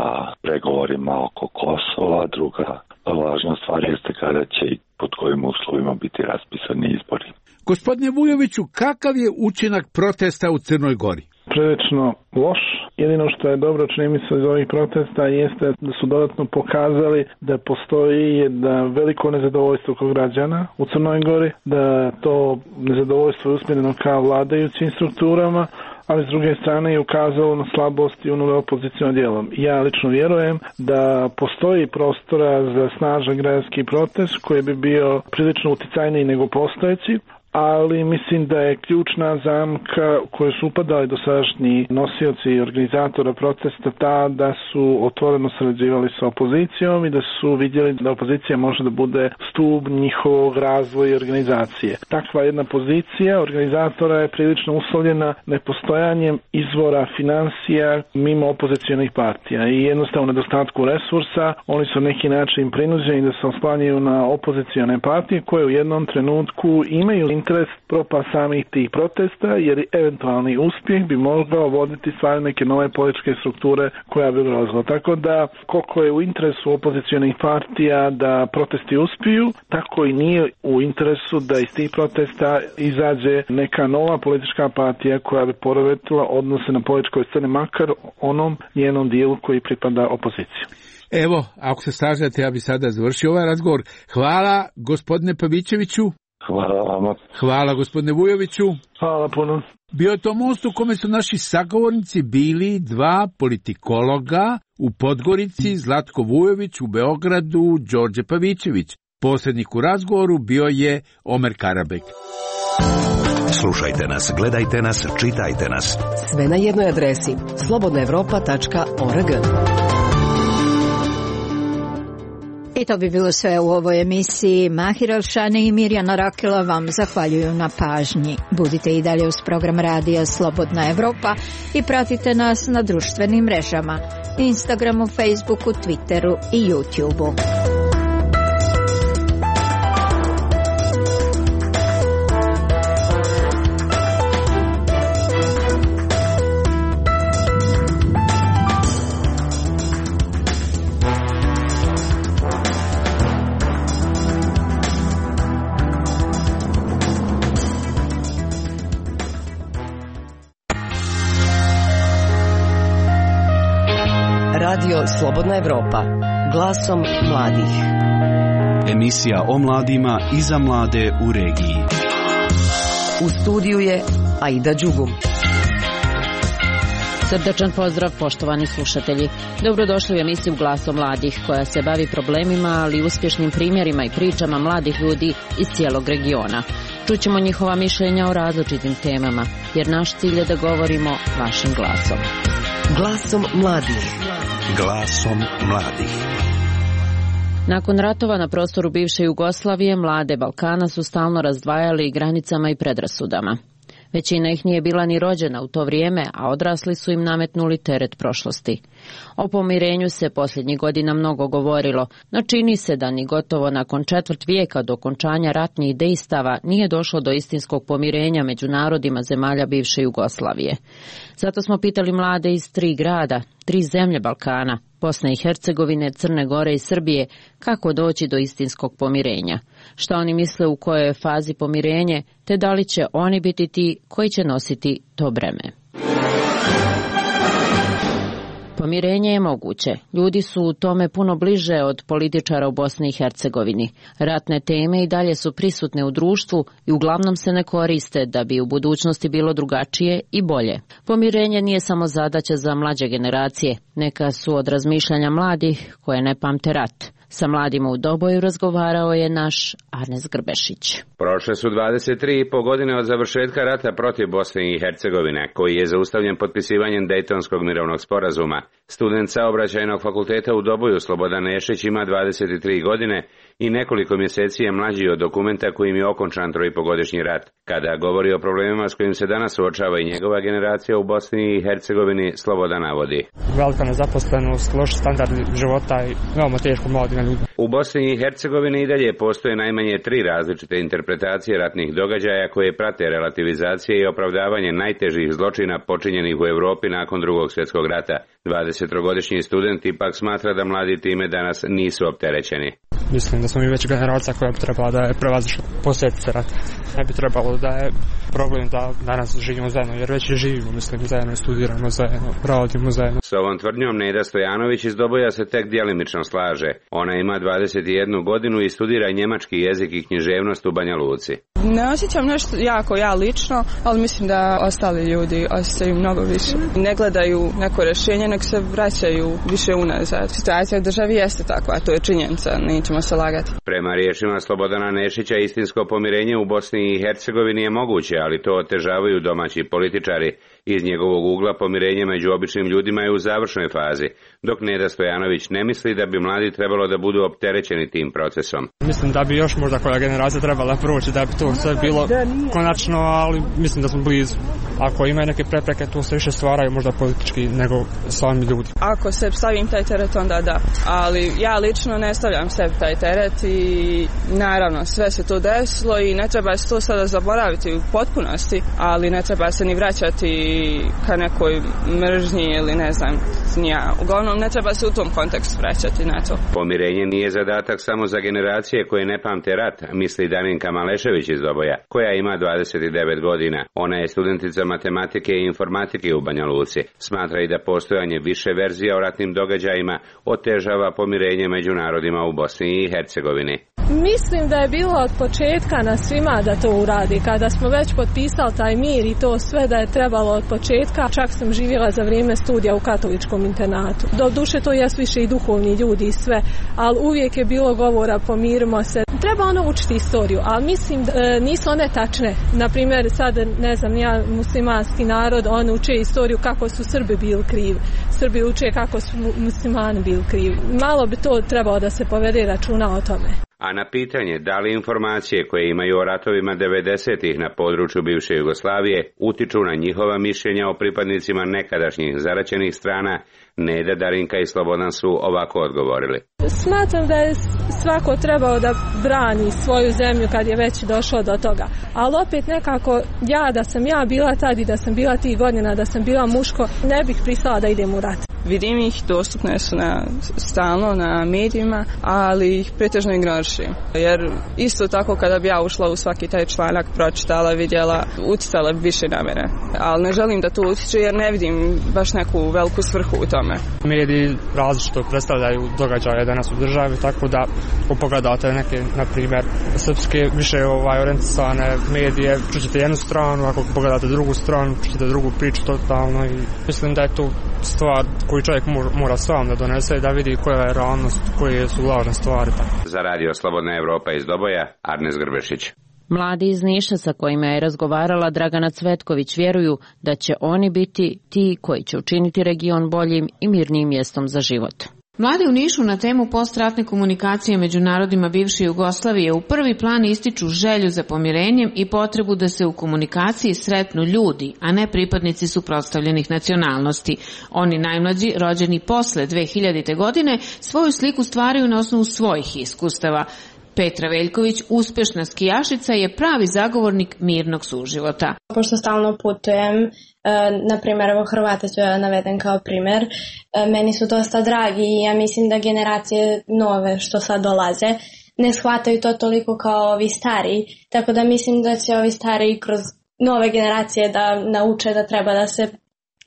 pregovorima oko Kosova. Druga važna stvar jeste kada će i pod kojim uslovima biti raspisani izbori. Gospodine Vujoviću, kakav je učinak protesta u Crnoj Gori? Prilično loš. Jedino što je dobro, čini mi se, iz ovih protesta jeste da su dodatno pokazali da postoji jedno veliko nezadovoljstvo kod građana u Crnoj Gori, da to nezadovoljstvo je usmjereno ka vladajućim strukturama, ali s druge strane je ukazalo na slabosti unutar opozicionog dijela. Ja lično vjerujem da postoji prostora za snažan građanski protest koji bi bio prilično uticajniji nego postojeći, ali mislim da je ključna zamka koju su upadali dosadašnji nosioci i organizatora protesta ta da su otvoreno sarađivali sa opozicijom i da su vidjeli da opozicija može da bude stup njihovog razvoja i organizacije. Takva jedna pozicija organizatora je prilično uslovljena nepostojanjem izvora financija mimo opozicijonih partija i jednostavno nedostatku resursa. Oni su na neki način prinuđeni da se oslanjaju na opozicijone partije koje u jednom trenutku imaju interes propast samih tih protesta, jer eventualni uspjeh bi mogao voditi stvari neke nove političke strukture koja bi ugrozila. Tako da, koliko je u interesu opozicijonih partija da protesti uspiju, tako i nije u interesu da iz tih protesta izađe neka nova politička partija koja bi poremetila odnose na političkoj sceni, makar onom njenom dijelu koji pripada opoziciji. Evo, ako se slažete, ja bi sada završio ovaj razgovor. Hvala, gospodine Pavićeviću. Hvala vama. Hvala, gospodine Vujoviću. Hvala puno. Bio je to most u kome su naši sagovornici bili dva politikologa u Podgorici, Zlatko Vujović, u Beogradu, Đorđe Pavićević. Posrednik u razgovoru bio je Omer Karabek. Slušajte nas, gledajte nas, čitajte nas. Sve na jednoj adresi slobodna evropa tačka org. I to bi bilo sve u ovoj emisiji. Mahir Alšane i Mirjana Rakela vam zahvaljuju na pažnji. Budite i dalje uz program radija Slobodna Evropa i pratite nas na društvenim mrežama, Instagramu, Facebooku, Twitteru i YouTubeu. Radio Slobodna Evropa, glasom mladih. Emisija o mladima i za mlade u regiji. U studiju je Aida Đugum. Srdačan pozdrav, poštovani slušatelji. Dobrodošli u emisiju Glasom mladih, koja se bavi problemima, ali i uspješnim primjerima i pričama mladih ljudi iz cijelog regiona. Čućemo njihova mišljenja o različitim temama, jer naš cilj je da govorimo vašim glasom. Glasom mladih. Glasom mladih. Nakon ratova na prostoru bivše Jugoslavije, mlade Balkana su stalno razdvajali granicama i predrasudama. Većina ih nije bila ni rođena u to vrijeme, a odrasli su im nametnuli teret prošlosti. O pomirenju se posljednjih godina mnogo govorilo, no čini se da ni gotovo nakon četvrt vijeka do okončanja ratnih dejstava nije došlo do istinskog pomirenja među narodima zemalja bivše Jugoslavije. Zato smo pitali mlade iz tri grada, tri zemlje Balkana, Bosne i Hercegovine, Crne Gore i Srbije, kako doći do istinskog pomirenja. Šta oni misle u kojoj je fazi pomirenje, te da li će oni biti ti koji će nositi to breme. Pomirenje je moguće. Ljudi su u tome puno bliže od političara u Bosni i Hercegovini. Ratne teme i dalje su prisutne u društvu i uglavnom se ne koriste da bi u budućnosti bilo drugačije i bolje. Pomirenje nije samo zadaća za mlađe generacije. Neka su od razmišljanja mladih koje ne pamte rat. Sa mladima u Doboju razgovarao je naš Arnes Grbešić. Prošle su dvadeset tri i po godine od završetka rata protiv Bosne i Hercegovine, koji je zaustavljen potpisivanjem Dejtonskog mirovnog sporazuma. Student Saobraćajnog fakulteta u Doboju Slobodan Nešić ima dvadeset tri godine i nekoliko mjeseci je mlađi od dokumenta kojim je okončan troipogodišnji rat. Kada govori o problemima s kojim se danas suočava i njegova generacija u Bosni i Hercegovini, Slobodan navodi. Velika nezaposlenost, loš standard života i veoma teško mladim ljudima. U Bosni i Hercegovini i dalje postoje najmanje tri različite interpretacije ratnih događaja koje prate relativizacije i opravdavanje najtežih zločina počinjenih u Europi nakon Drugog svjetskog rata. dvadesettrogodišnji student ipak smatra da mladi time danas nisu opterećeni. Mislim da smo mi već generacija koja bi trebala da je prevazišla posljedice rata. Ne bi trebalo da je problem da danas živimo zajedno, jer već živimo, mislim, zajedno, studiramo zajedno, radimo zajedno. S ovom tvrdnjom Neda Stojanović iz Doboja se tek djelimično slaže. Ona ima dvadeset jednu godinu i studira njemački jezik i književnost u Banja Luci. Ne osjećam nešto jako ja lično, ali mislim da ostali ljudi osjećaju mnogo više. Ne gledaju neko rješenje, nek se vraćaju više unazad. Situacija u državi jeste takva, to je činjenica, nećemo se lagati. Prema riječima Slobodana Nešića, istinsko pomirenje u Bosni i Hercegovini je moguće, ali to otežavaju domaći političari. Iz njegovog ugla pomirenje među običnim ljudima je u završnoj fazi, dok Neda Stojanović ne misli da bi mladi trebalo da budu opterećeni tim procesom. Mislim da bi još možda koja generacija trebala proći da bi to sve bilo konačno, ali mislim da smo blizu. Ako ima neke prepreke, to se više stvaraju možda politički nego sami ljudi. Ako se stavim taj teret, onda da. Ali ja lično ne stavljam sebi taj teret i naravno sve se to desilo i ne treba se to sada zaboraviti u potpunosti, ali ne treba se ni vraćati ka nekoj mržnji ili ne znam, ja. Uglavnom ne treba se u tom kontekstu vraćati na to. Pomirenje nije zadatak samo za generacije koje ne pamte rat, misli Daninka Malešević iz Doboja, koja ima dvadeset devet godina. Ona je studentica matematike i informatike u Banja Luci. Smatra i da postojanje više verzija o ratnim događajima otežava pomirenje među narodima u Bosni i Hercegovini. Mislim da je bilo od početka na svima da to uradi. Kada smo već potpisali taj mir i to sve da je trebalo od početka, čak sam živjela za vrijeme studija u katoličkom internatu. Do duše to jesu više i duhovni ljudi i sve, ali uvijek je bilo govora pomirimo se. treba ono učiti istoriju, ali mislim da e, nisu one tačne. Naprimjer, sad, ne znam, ja muslimanski narod, on uče istoriju kako su Srbi bili krivi. Srbi uče kako su muslimani bili krivi. Malo bi to trebalo da se povede računa o tome. A na pitanje da li informacije koje imaju o ratovima devedesetih na području bivše Jugoslavije utiču na njihova mišljenja o pripadnicima nekadašnjih zaraćenih strana, Neda, Darinka i Slobodan su ovako odgovorili. Smatram da je svako trebao da brani svoju zemlju kad je već došao do toga. Ali opet nekako, ja da sam ja bila tad i da sam bila tih godina, da sam bila muško, ne bih pristala da idem u rat. Vidim ih, dostupne su na, stalno na medijima, ali ih pretežno ignorišim. Jer isto tako kada bi ja ušla u svaki taj članak, pročitala, vidjela, uticala bi više na mene. Ali ne želim da to utiče jer ne vidim baš neku veliku svrhu u tome. Mediji različito predstavljaju događaje danas u državi, tako da ako pogledate neke, na primjer, srpske više ovaj, orijentisane medije, čućete jednu stranu, ako pogledate drugu stranu, čućete drugu priču totalno i mislim da je to stvar koju čovjek mora sam da donese i da vidi koja je realnost, koje su lažne stvari. Tako. Za radio Slobodna Evropa iz Doboja, Arnes Grbešić. Mladi iz Niša sa kojima je razgovarala Dragana Cvetković vjeruju da će oni biti ti koji će učiniti region boljim i mirnijim mjestom za život. Mladi u Nišu na temu postratne komunikacije među narodima bivše Jugoslavije u prvi plan ističu želju za pomirenjem i potrebu da se u komunikaciji sretnu ljudi, a ne pripadnici suprotstavljenih nacionalnosti. Oni najmlađi, rođeni posle dve hiljadite. godine, svoju sliku stvaraju na osnovu svojih iskustava. Petra Veljković, uspešna skijašica, je pravi zagovornik mirnog suživota. Pošto stalno putujem, na primjer, evo Hrvate ću naveden kao primjer, meni su dosta dragi i ja mislim da generacije nove što sad dolaze ne shvataju to toliko kao ovi stari, tako da mislim da će ovi stari kroz nove generacije da nauče da treba da se,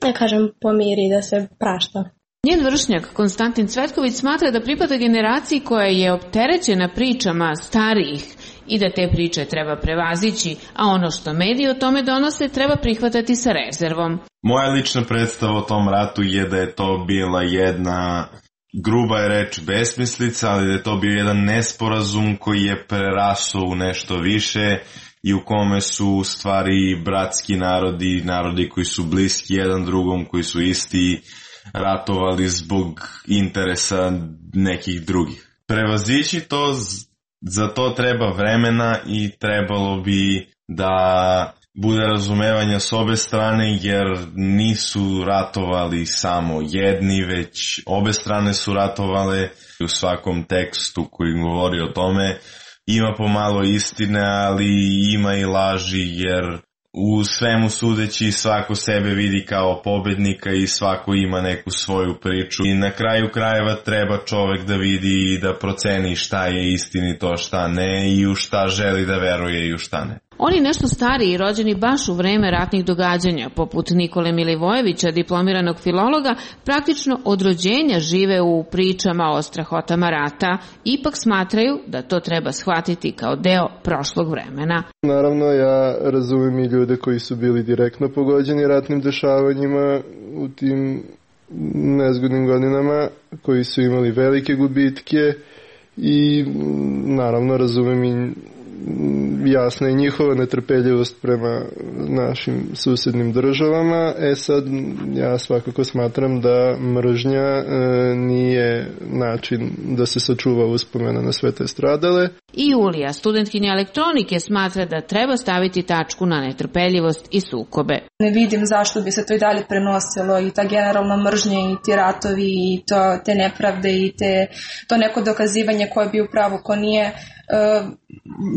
ja kažem, pomiri, da se prašta. Njen vršnjak, Konstantin Cvetković, smatra da pripada generaciji koja je opterećena pričama starijih i da te priče treba prevazići, a ono što mediji o tome donose treba prihvatati sa rezervom. Moja lična predstava o tom ratu je da je to bila jedna, gruba je reč, besmislica, ali da je to bio jedan nesporazum koji je prerasao u nešto više i u kome su u stvari bratski narodi, narodi koji su bliski jedan drugom, koji su isti, ratovali zbog interesa nekih drugih. Prevazići to, za to treba vremena i trebalo bi da bude razumevanja s obe strane, jer nisu ratovali samo jedni, već obe strane su ratovale. U svakom tekstu koji govori o tome ima pomalo istine, ali ima i laži, jer u svemu sudeći svako sebe vidi kao pobednika i svako ima neku svoju priču. I na kraju krajeva treba čovek da vidi i da proceni šta je istinito, šta ne i u šta želi da veruje i u šta ne. Oni nešto stariji, rođeni baš u vreme ratnih događanja, poput Nikole Milivojevića, diplomiranog filologa, praktično od rođenja žive u pričama o strahotama rata, ipak smatraju da to treba shvatiti kao deo prošlog vremena. Naravno, ja razumem i ljude koji su bili direktno pogođeni ratnim dešavanjima u tim nezgodnim godinama, koji su imali velike gubitke i naravno razumem i jasna je njihova netrpeljivost prema našim susednim državama. E sad, ja svakako smatram da mržnja e, nije način da se sačuva uspomena na sve te stradale. I Julija, studentkinja elektronike, smatra da treba staviti tačku na netrpeljivost i sukobe. Ne vidim zašto bi se to i dalje prenosilo i ta generalna mržnja i ti ratovi i to, te nepravde i te, to neko dokazivanje koje bi upravo ko nije. Uh,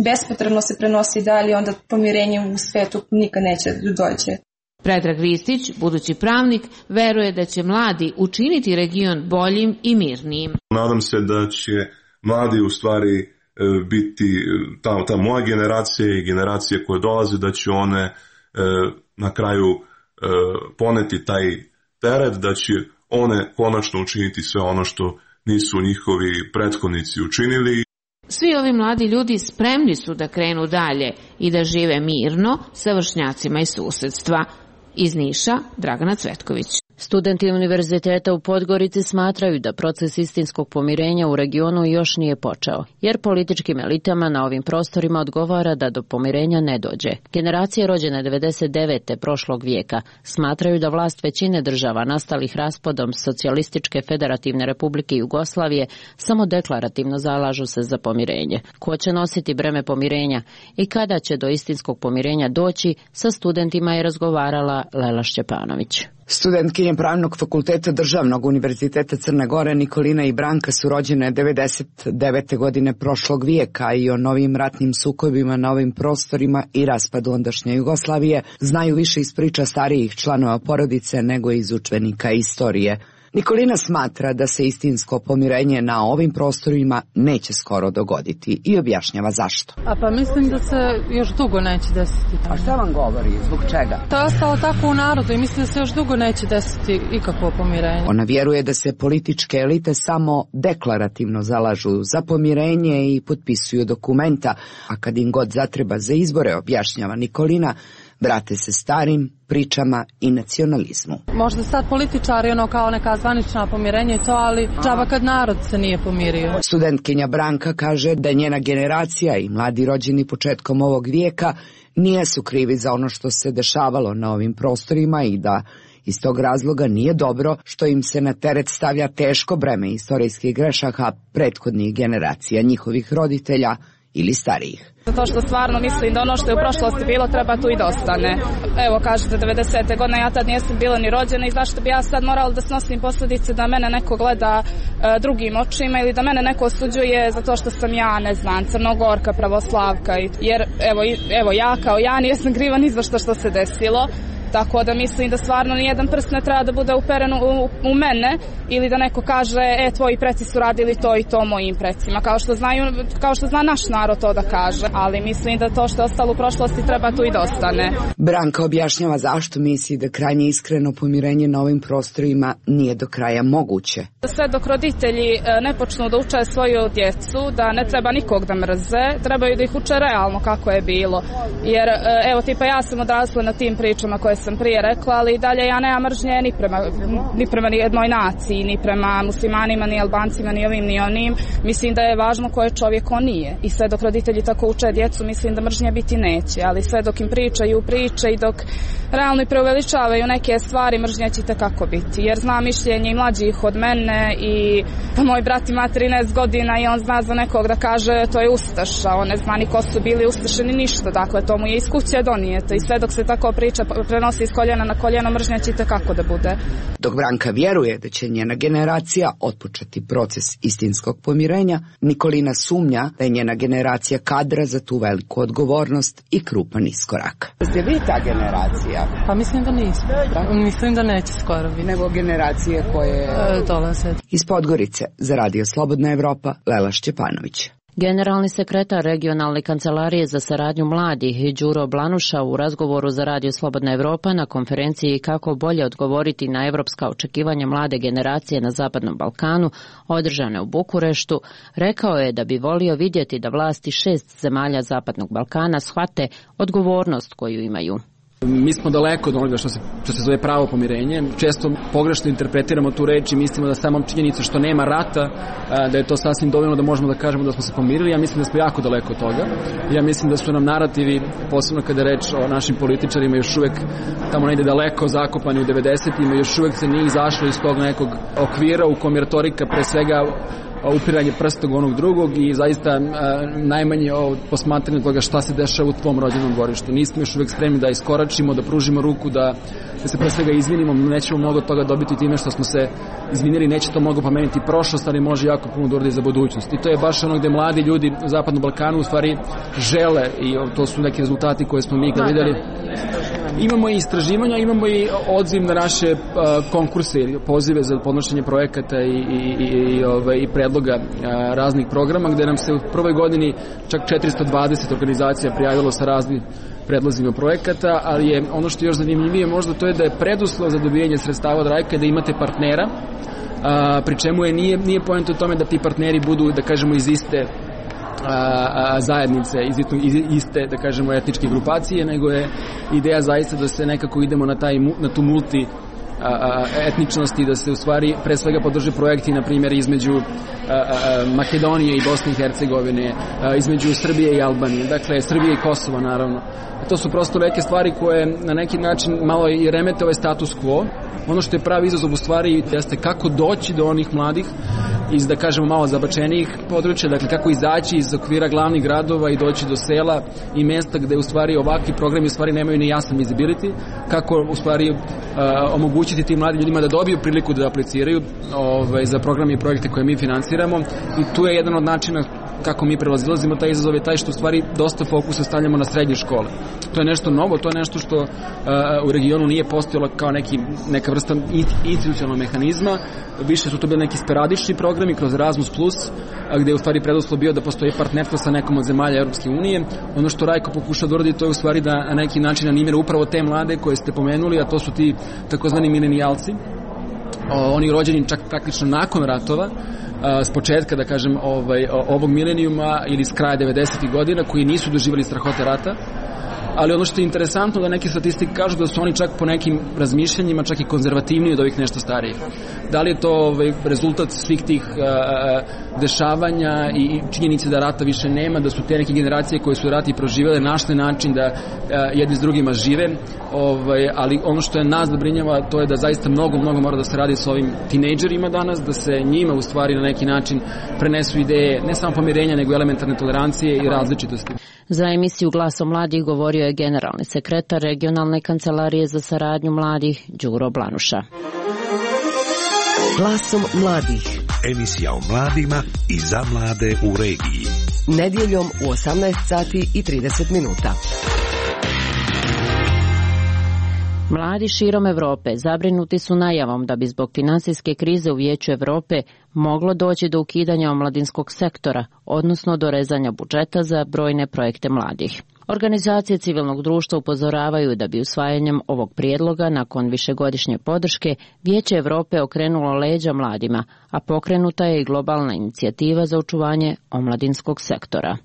bespotrebno se prenosi dalje, onda pomirenje u svetu nikad neće doći. Predrag Ristić, budući pravnik, veruje da će mladi učiniti region boljim i mirnijim. Nadam se da će mladi u stvari biti ta, ta moja generacija i generacije koje dolaze, da će one na kraju poneti taj teret, da će one konačno učiniti sve ono što nisu njihovi prethodnici učinili. Svi ovi mladi ljudi spremni su da krenu dalje i da žive mirno sa vršnjacima iz susedstva. Iz Niša, Dragana Cvetković. Studenti Univerziteta u Podgorici smatraju da proces istinskog pomirenja u regionu još nije počeo, jer političkim elitama na ovim prostorima odgovara da do pomirenja ne dođe. Generacije rođene devedeset devete prošlog vijeka smatraju da vlast većine država nastalih raspadom Socijalističke federativne republike Jugoslavije samo deklarativno zalažu se za pomirenje. Ko će nositi breme pomirenja i kada će do istinskog pomirenja doći, sa studentima je razgovarala Lela Šćepanović. Studentkinje Pravnog fakulteta Državnog univerziteta Crne Gore Nikolina i Branka su rođene devedeset devete godine prošlog vijeka i o novim ratnim sukobima na ovim prostorima i raspadu ondašnje Jugoslavije znaju više iz priča starijih članova porodice nego iz učbenika istorije. Nikolina smatra da se istinsko pomirenje na ovim prostorima neće skoro dogoditi i objašnjava zašto. A pa mislim da se još dugo neće desiti. A šta vam govori? Zbog čega? To je ostalo tako u narodu i mislim da se još dugo neće desiti ikakvo pomirenje. Ona vjeruje da se političke elite samo deklarativno zalažu za pomirenje i potpisuju dokumenta, a kad im god zatreba za izbore, objašnjava Nikolina, vrate se starim pričama i nacionalizmu. Možda sad političari ono kao neka zvanična pomirenja i to, ali džaba kad narod se nije pomirio. Studentkinja Branka kaže da njena generacija i mladi rođeni početkom ovog vijeka nijesu krivi za ono što se dešavalo na ovim prostorima i da iz tog razloga nije dobro što im se na teret stavlja teško breme istorijskih grešaka prethodnih generacija, njihovih roditelja ili starijih. Zato što stvarno mislim da ono što je u prošlosti bilo treba tu i da ostane. Evo kažete devedesete godine, ja tad nijesam bila ni rođena i zašto bi ja sad morala da snosim posljedice da mene neko gleda e, drugim očima ili da mene neko osuđuje zato što sam ja, ne znam, Crnogorka, pravoslavka. Jer evo, evo ja kao ja nijesam kriva ni za što što se desilo. Tako da mislim da stvarno nijedan prst ne treba da bude uperen u, u mene ili da neko kaže, e, tvoji preci su radili to i to mojim precima, kao što znaju, kao što zna naš narod to da kaže, ali mislim da to što je ostalo u prošlosti treba tu i da ostane. Branka objašnjava zašto misli da krajnje iskreno pomirenje na ovim prostorima nije do kraja moguće. Sve dok roditelji ne počnu da uče svoju djecu, da ne treba nikog da mrze, trebaju da ih uče realno kako je bilo, jer evo tipa ja sam odrasla na tim pričama koje sam prije rekla, ali i dalje ja nemam mržnje ni prema, ni prema ni jednoj naciji, ni prema muslimanima, ni Albancima, ni ovim, ni onim. Mislim da je važno ko je čovjek, on nije. I sve dok roditelji tako uče djecu, mislim da mržnje biti neće, ali sve dok im pričaju priče i dok realno i preuveličavaju neke stvari, mržnje će kako biti. Jer zna mišljenje i mlađih od mene i pa moj brat ima trinaest godina i on zna za nekog da kaže to je ustaša, on ne zna ni ko su bili ustaše ni ništa, dakle to mu je iz kuće donijeto i sve dok se tako priča prenosi iz koljena na koljeno, mržnja će kako da bude. Dok Branka vjeruje da će njena generacija otpočeti proces istinskog pomirenja, Nikolina sumnja da je njena generacija kadra za tu veliku odgovornost i krupan iskorak. Ste vi ta generacija? Pa mislim da nismo. Da? Mislim da neće skoro biti. Nego generacije koje e, dolaze. Iz Podgorice za Radio Slobodna Evropa, Lela Šćepanović. Generalni sekretar regionalne kancelarije za saradnju mladih Đuro Blanuša u razgovoru za Radio Slobodna Evropa na konferenciji kako bolje odgovoriti na evropska očekivanja mlade generacije na Zapadnom Balkanu, održane u Bukureštu, rekao je da bi volio vidjeti da vlasti šest zemalja Zapadnog Balkana shvate odgovornost koju imaju. Mi smo daleko od onoga što se, što se zove pravo pomirenje. Često pogrešno interpretiramo tu reč i mislimo da samo činjenica što nema rata, da je to sasvim dovoljno da možemo da kažemo da smo se pomirili. Ja mislim da smo jako daleko od toga. Ja mislim da su nam narativi, posebno kada je reč o našim političarima, još uvek tamo negde daleko zakopani u devedesetima, još uvek se nije izašlo iz tog nekog okvira u kom je retorika pre svega upiranje prstom onog drugog i zaista a, najmanje o posmatranju toga šta se dešava u tvom rođenom dvorištu. Nismo još uvek spremni da iskoračimo, da pružimo ruku, da, da se pre svega izvinimo. Nećemo mnogo toga dobiti time što smo se izvinili, neće to mnogo pomeniti prošlost, ali može jako puno da uradi za budućnost. I to je baš ono gde mladi ljudi u Zapadnom Balkanu u stvari žele i to su neki rezultati koje smo mi videli. Imamo i istraživanja, imamo i odziv na naše uh, konkurse ili pozive za podnošenje projekata i, i, i, i, ove, i predloga uh, raznih programa, gde nam se u prvoj godini čak četiristo dvadeset organizacija prijavilo sa raznim predlozima projekata, ali je ono što je još zanimljivije možda to je da je preduslov za dobijanje sredstava od Rajka da imate partnera, uh, pri čemu je nije, nije poenta u tome da ti partneri budu, da kažemo, iz iste A, a, zajednice, iz iste, da kažemo, etničke grupacije, nego je ideja zaista da se nekako idemo na, taj, na tu multi etničnosti, da se u stvari pre svega podrže projekti, na primjer, između Makedonije i Bosne i Hercegovine, između Srbije i Albanije, dakle Srbije i Kosova naravno. To su prosto neke stvari koje na neki način malo i remete ovaj status quo. Ono što je pravi izazov u stvari jeste kako doći do onih mladih iz, da kažemo, malo zabačenijih područja, dakle kako izaći iz okvira glavnih gradova i doći do sela i mesta gde u stvari ovakvi programi u stvari nemaju ni jasan visibility, kako u stvari uh, omogućiti tim mladim ljudima da dobiju priliku da apliciraju ovaj, za programe i projekte koje mi finansiramo, i tu je jedan od načina kako mi prelazilazimo taj izazov je taj što u stvari dosta fokusa stavljamo na srednje škole. To je nešto novo, to je nešto što uh, u regionu nije postojalo kao neki, neka vrsta institucionalnog mehanizma, više su to bili neki sporadični programi kroz Erasmus plus, gde je u stvari preduslov bio da postoji partnerstvo sa nekom od zemalja Europske unije. Ono što Rajko pokuša da uradi, to je u stvari da na neki način animira upravo te mlade koje ste pomenuli, a to su ti takozvani milenijalci, oni rođeni čak praktično nakon ratova, s početka, da kažem, ovaj, ovog milenijuma ili s kraja devedesetih godina, koji nisu doživjeli strahote rata. Ali ono što je interesantno da neke statistike kažu da su oni čak po nekim razmišljanjima čak i konzervativniji od ovih nešto starijih. Da li je to ovaj, rezultat svih tih uh, dešavanja i činjenice da rata više nema, da su te neke generacije koje su rat i proživjele našle način da uh, jedni s drugima žive, ovaj, ali ono što je nas zabrinjava to je da zaista mnogo, mnogo mora da se radi s ovim tinejdžerima danas, da se njima u stvari na neki način prenesu ideje ne samo pomirenja nego elementarne tolerancije i različitosti. Za emisiju Glasom mladih govorio je generalni sekretar Regionalne kancelarije za saradnju mladih Đuro Blanuša. Glasom mladih. Emisija o mladima i za mlade u regiji. Nedjeljom u osamnaest sati i trideset minuta. Mladi širom Evrope zabrinuti su najavom da bi zbog finansijske krize u Vijeću Evrope moglo doći do ukidanja omladinskog sektora, odnosno do rezanja budžeta za brojne projekte mladih. Organizacije civilnog društva upozoravaju da bi usvajanjem ovog prijedloga nakon višegodišnje podrške Vijeće Evrope okrenulo leđa mladima, a pokrenuta je i globalna inicijativa za očuvanje omladinskog sektora.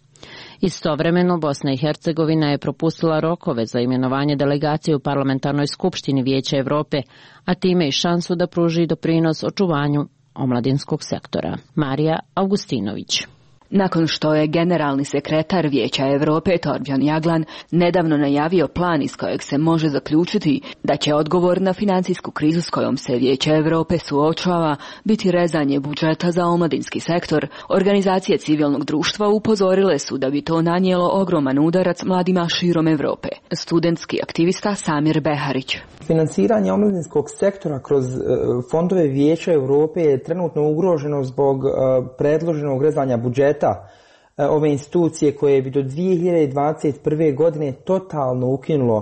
Istovremeno, Bosna i Hercegovina je propustila rokove za imenovanje delegacije u Parlamentarnoj skupštini Vijeća Evrope, a time i šansu da pruži doprinos očuvanju omladinskog sektora. Marija Augustinović. Nakon što je generalni sekretar Vijeća Evrope Torbjörn Jaglan nedavno najavio plan iz kojeg se može zaključiti da će odgovor na financijsku krizu s kojom se Vijeće Evrope suočava biti rezanje budžeta za omladinski sektor, organizacije civilnog društva upozorile su da bi to nanijelo ogroman udarac mladima širom Evrope. Studentski aktivista Samir Beharić. Finansiranje omladinskog sektora kroz fondove Vijeća Evrope je trenutno ugroženo zbog predloženog rezanja budžeta ove institucije koje bi do dvije hiljade dvadeset prve. godine totalno ukinulo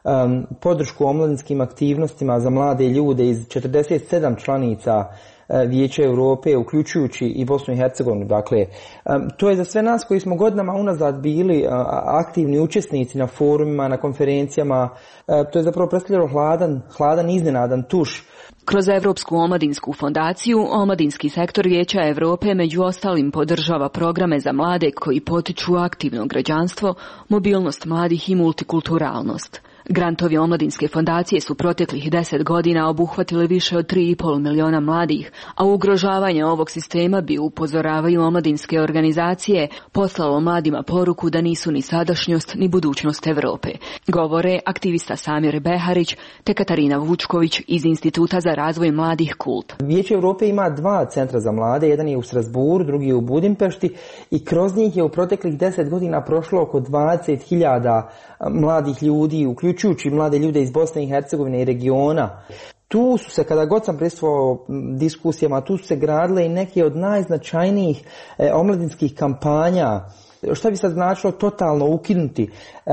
um, podršku omladinskim aktivnostima za mlade ljude iz četrdeset sedam članica uh, Vijeća Evrope, uključujući i Bosnu i Hercegovinu. Dakle, um, to je za sve nas koji smo godinama unazad bili uh, aktivni učesnici na forumima, na konferencijama, uh, to je zapravo predstavljalo hladan, hladan iznenadan tuš. Kroz Evropsku omladinsku fondaciju, omladinski sektor Vijeća Evrope među ostalim podržava programe za mlade koji potiču aktivno građanstvo, mobilnost mladih i multikulturalnost. Grantovi omladinske fondacije su proteklih deset godina obuhvatili više od tri i pol miliona mladih, a ugrožavanje ovog sistema bi, upozoravaju omladinske organizacije, poslalo mladima poruku da nisu ni sadašnjost ni budućnost Evrope. Govore aktivista Samir Beharić te Katarina Vučković iz Instituta za razvoj mladih Kult. Vijeće Evrope ima dva centra za mlade, jedan je u Strasburu, drugi je u Budimpešti i kroz njih je u proteklih deset godina prošlo oko dvadeset hiljada mladih ljudi, uključujući mlade ljude iz Bosne i Hercegovine i regiona. Tu su se, kada god sam prisustvovao diskusijama, tu su se gradile i neke od najznačajnijih e, omladinskih kampanja. Šta bi sad značilo totalno ukinuti e,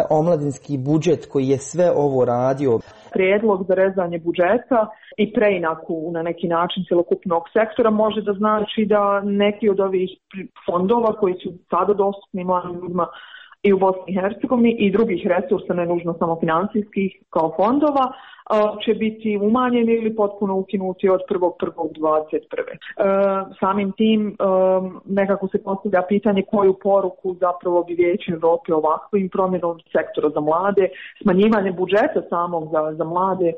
omladinski budžet koji je sve ovo radio? Prijedlog za rezanje budžeta i preinaku na neki način cjelokupnog sektora može da znači da neki od ovih fondova koji su sada dostupni mladim ljudima i u Bosni i Hercegovini i drugih resursa, ne nužno samo financijskih kao fondova, će biti umanjeni ili potpuno ukinuti od prvog prvog dvadeset prve. Samim tim nekako se postavlja pitanje koju poruku zapravo bi Vijeće Europe ovakvim promjenom sektora za mlade, smanjivanje budžeta samog za, za mlade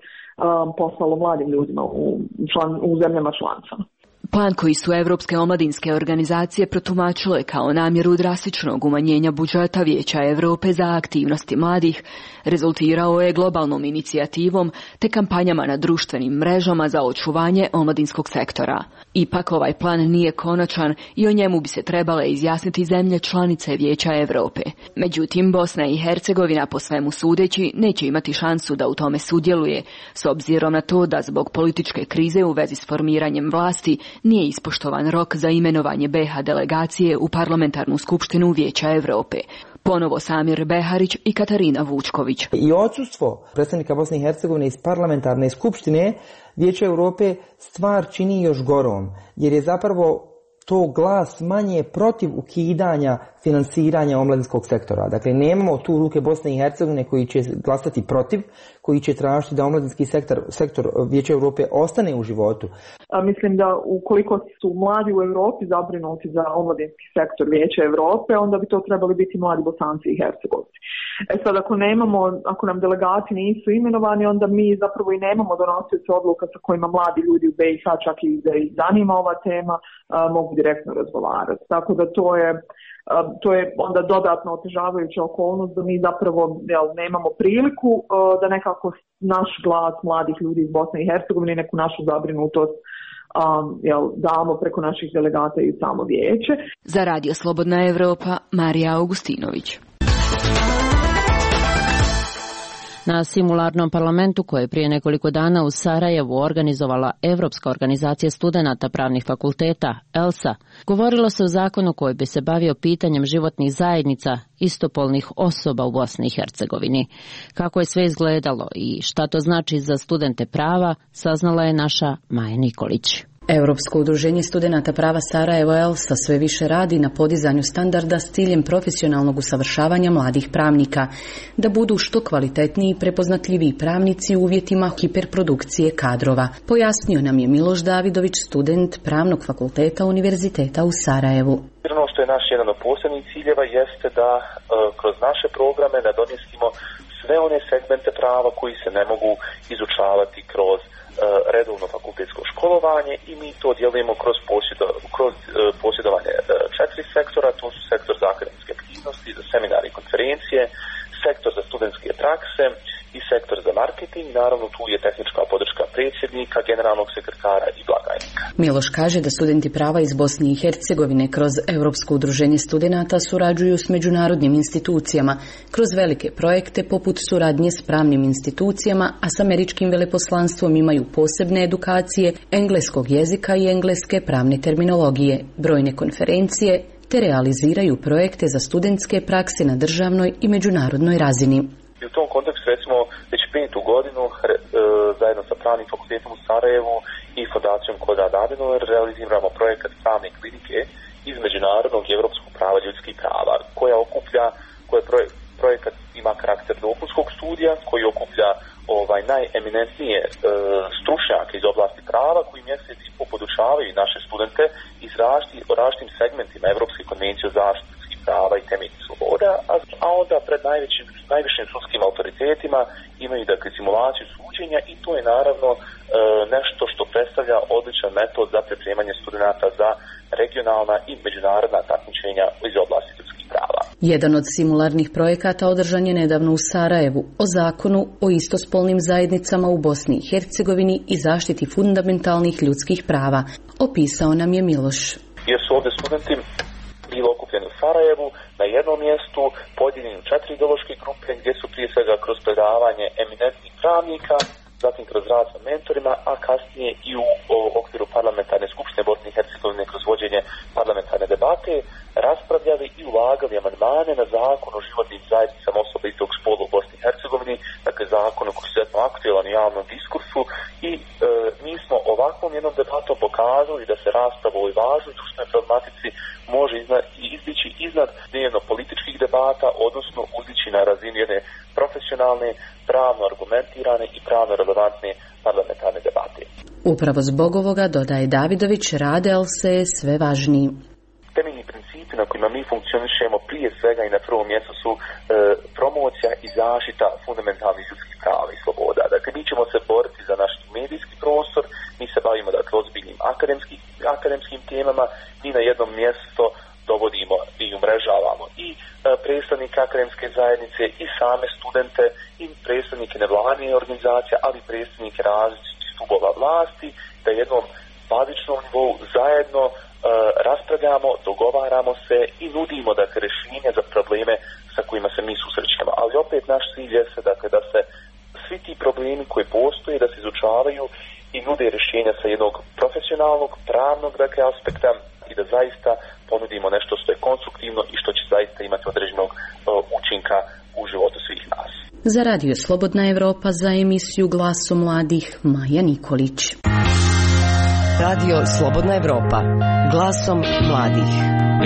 poslalo mladim ljudima u, član, u zemljama članicama. Plan koji su Evropske omladinske organizacije protumačile kao namjeru drastičnog umanjenja budžeta Vijeća Europe za aktivnosti mladih rezultirao je globalnom inicijativom te kampanjama na društvenim mrežama za očuvanje omladinskog sektora. Ipak ovaj plan nije konačan i o njemu bi se trebale izjasniti zemlje članice Vijeća Europe. Međutim, Bosna i Hercegovina po svemu sudeći neće imati šansu da u tome sudjeluje, s obzirom na to da zbog političke krize u vezi s formiranjem vlasti nije ispoštovan rok za imenovanje be ha delegacije u Parlamentarnu skupštinu Vijeća Europe. Ponovo Samir Beharić i Katarina Vučković. I odsustvo predstavnika Bosne i Hercegovine iz Parlamentarne skupštine Vijeća Europe stvar čini još gorom, jer je zapravo to glas manje protiv ukidanja finansiranja omladinskog sektora. Dakle, nemamo tu ruke Bosne i Hercegovine koji će glasati protiv, koji će tražiti da omladinski sektor, sektor Vijeća Europe ostane u životu. A mislim da ukoliko su mladi u Europi zabrinuti za omladinski sektor Vijeća Europe, onda bi to trebali biti mladi Bosanci i Hercegovci. E sad, ako nemamo, ako nam delegati nisu imenovani, onda mi zapravo i nemamo donosioce odluka sa kojima mladi ljudi u be i ha, čak i da ih zanima ova tema, a, mogu direktno razgovarati. Tako da to je to je onda dodatno otežavajuća okolnost da mi zapravo jel, nemamo priliku uh, da nekako naš glas mladih ljudi iz Bosne i Hercegovine, neku našu zabrinutost um, jel, damo preko naših delegata i samo vijeće. Za Radio Slobodna Evropa, Marija Augustinović. Na simularnom parlamentu koje je prije nekoliko dana u Sarajevu organizovala Evropska organizacija studenata pravnih fakulteta, ELSA, govorilo se o zakonu koji bi se bavio pitanjem životnih zajednica istopolnih osoba u Bosni i Hercegovini. Kako je sve izgledalo i šta to znači za studente prava, saznala je naša Maja Nikolić. Europsko udruženje studenata prava Sarajevo ELSA sve više radi na podizanju standarda s ciljem profesionalnog usavršavanja mladih pravnika, da budu što kvalitetniji i prepoznatljiviji pravnici u uvjetima hiperprodukcije kadrova. Pojasnio nam je Miloš Davidović, student Pravnog fakulteta Univerziteta u Sarajevu. Ono što je naš jedan od posebnih ciljeva jeste da uh, kroz naše programe nadomjestimo sve one segmente prava koji se ne mogu izučavati kroz redovno fakultetsko školovanje i mi to djelujemo kroz, posjedo, kroz uh, posjedovanje uh, četiri sektora, to su sektor za akademske aktivnosti, za seminare i konferencije, sektor za studentske prakse i sektor za marketing. Naravno, tu je tehnička podrška predsjednika, generalnog sekretara i blagajnika. Miloš kaže da studenti prava iz Bosne i Hercegovine kroz Europsko udruženje studenata surađuju s međunarodnim institucijama kroz velike projekte poput suradnje s pravnim institucijama, a s američkim veleposlanstvom imaju posebne edukacije engleskog jezika i engleske pravne terminologije, brojne konferencije, te realiziraju projekte za studentske prakse na državnoj i međunarodnoj razini. I u tom kontekstu recimo već petu godinu e, zajedno sa Pravnim fakultetom u Sarajevu i Fondacijom Konrad Adenauer realiziramo projekat pravne klinike iz međunarodnog i evropskog prava ljudskih prava, koja okuplja, koja projek, projekat ima karakter dopunskog studija, koji okuplja ovaj najeminentnije e, stručnjake iz oblasti prava koji mjesec i po podučavaju naše studente iz različitim segmentima Evropske konvencije o zaštiti ljudskih prava i temeljnih sloboda, a, a onda pred najvećim, najvišim sudskim autoritetima imaju dakle simulaciju suđenja i to je naravno e, nešto što predstavlja odličan metod za pripremanje studenata za regionalna i međunarodna takmičenja iz oblasti ljudskih prava. Jedan od simularnih projekata održan je nedavno u Sarajevu o zakonu o istospolnim zajednicama u Bosni i Hercegovini i zaštiti fundamentalnih ljudskih prava. Opisao nam je Miloš. Jer su ovdje studenti bili okupljeni u Sarajevu na jednom mjestu, podijeljeni u četiri ideološke grupe gdje su prije svega kroz predavanje eminentnih pravnika, zatim kroz rad sa mentorima, a kasnije i u okviru parlamentarne skupštine Bosne i Hercegovine kroz vođenje parlamentarne debate raspravljali i ulagali amandmane na zakon o životnim zajednicama osoba istog spola u Bosni i Hercegovini, dakle zakon koji je izuzetno aktualan u javnom diskursu i e, mi smo ovakvom jednom debatom pokazali da se rasprava o ovoj važnoj društvenoj problematici može izna, izdići iznad dnevno političkih debata debata, odnosno uzići na razinu jedne profesionalne, pravno argumentirane i pravno relevantne parlamentarne debate. Upravo zbog ovoga, dodaje Davidović, rade se sve važniji. Temeljni principi na kojima mi funkcionišemo prije svega i na prvom mjestu su e, promocija i zaštita fundamentalnih ljudskih prava i sloboda. Dakle, mi ćemo se boriti za naš medijski prostor, mi se bavimo dakle ozbiljnim akademskim, akademskim temama, mi na jednom mjesto dovodimo i umrežavamo i e, predstavnike akademske zajednice i same studente i predstavnike nevladine organizacije, ali i predstavnike različitih stubova vlasti, da jednom bazičnom nivou zajedno e, raspravljamo, dogovaramo se i nudimo dakle rješenja za probleme sa kojima se mi susrećemo. Ali opet naš cilj je se dakle da se svi ti problemi koji postoje da se izučavaju i nude rješenja sa jednog profesionalnog, pravnog dakle aspekta i da zaista ponudimo nešto što je konstruktivno i što će zaista imati određenog uh, učinka u životu svih nas. Za Radio Slobodna Evropa, za emisiju Glasom mladih, Maja Nikolić. Radio Slobodna Evropa, glasom mladih.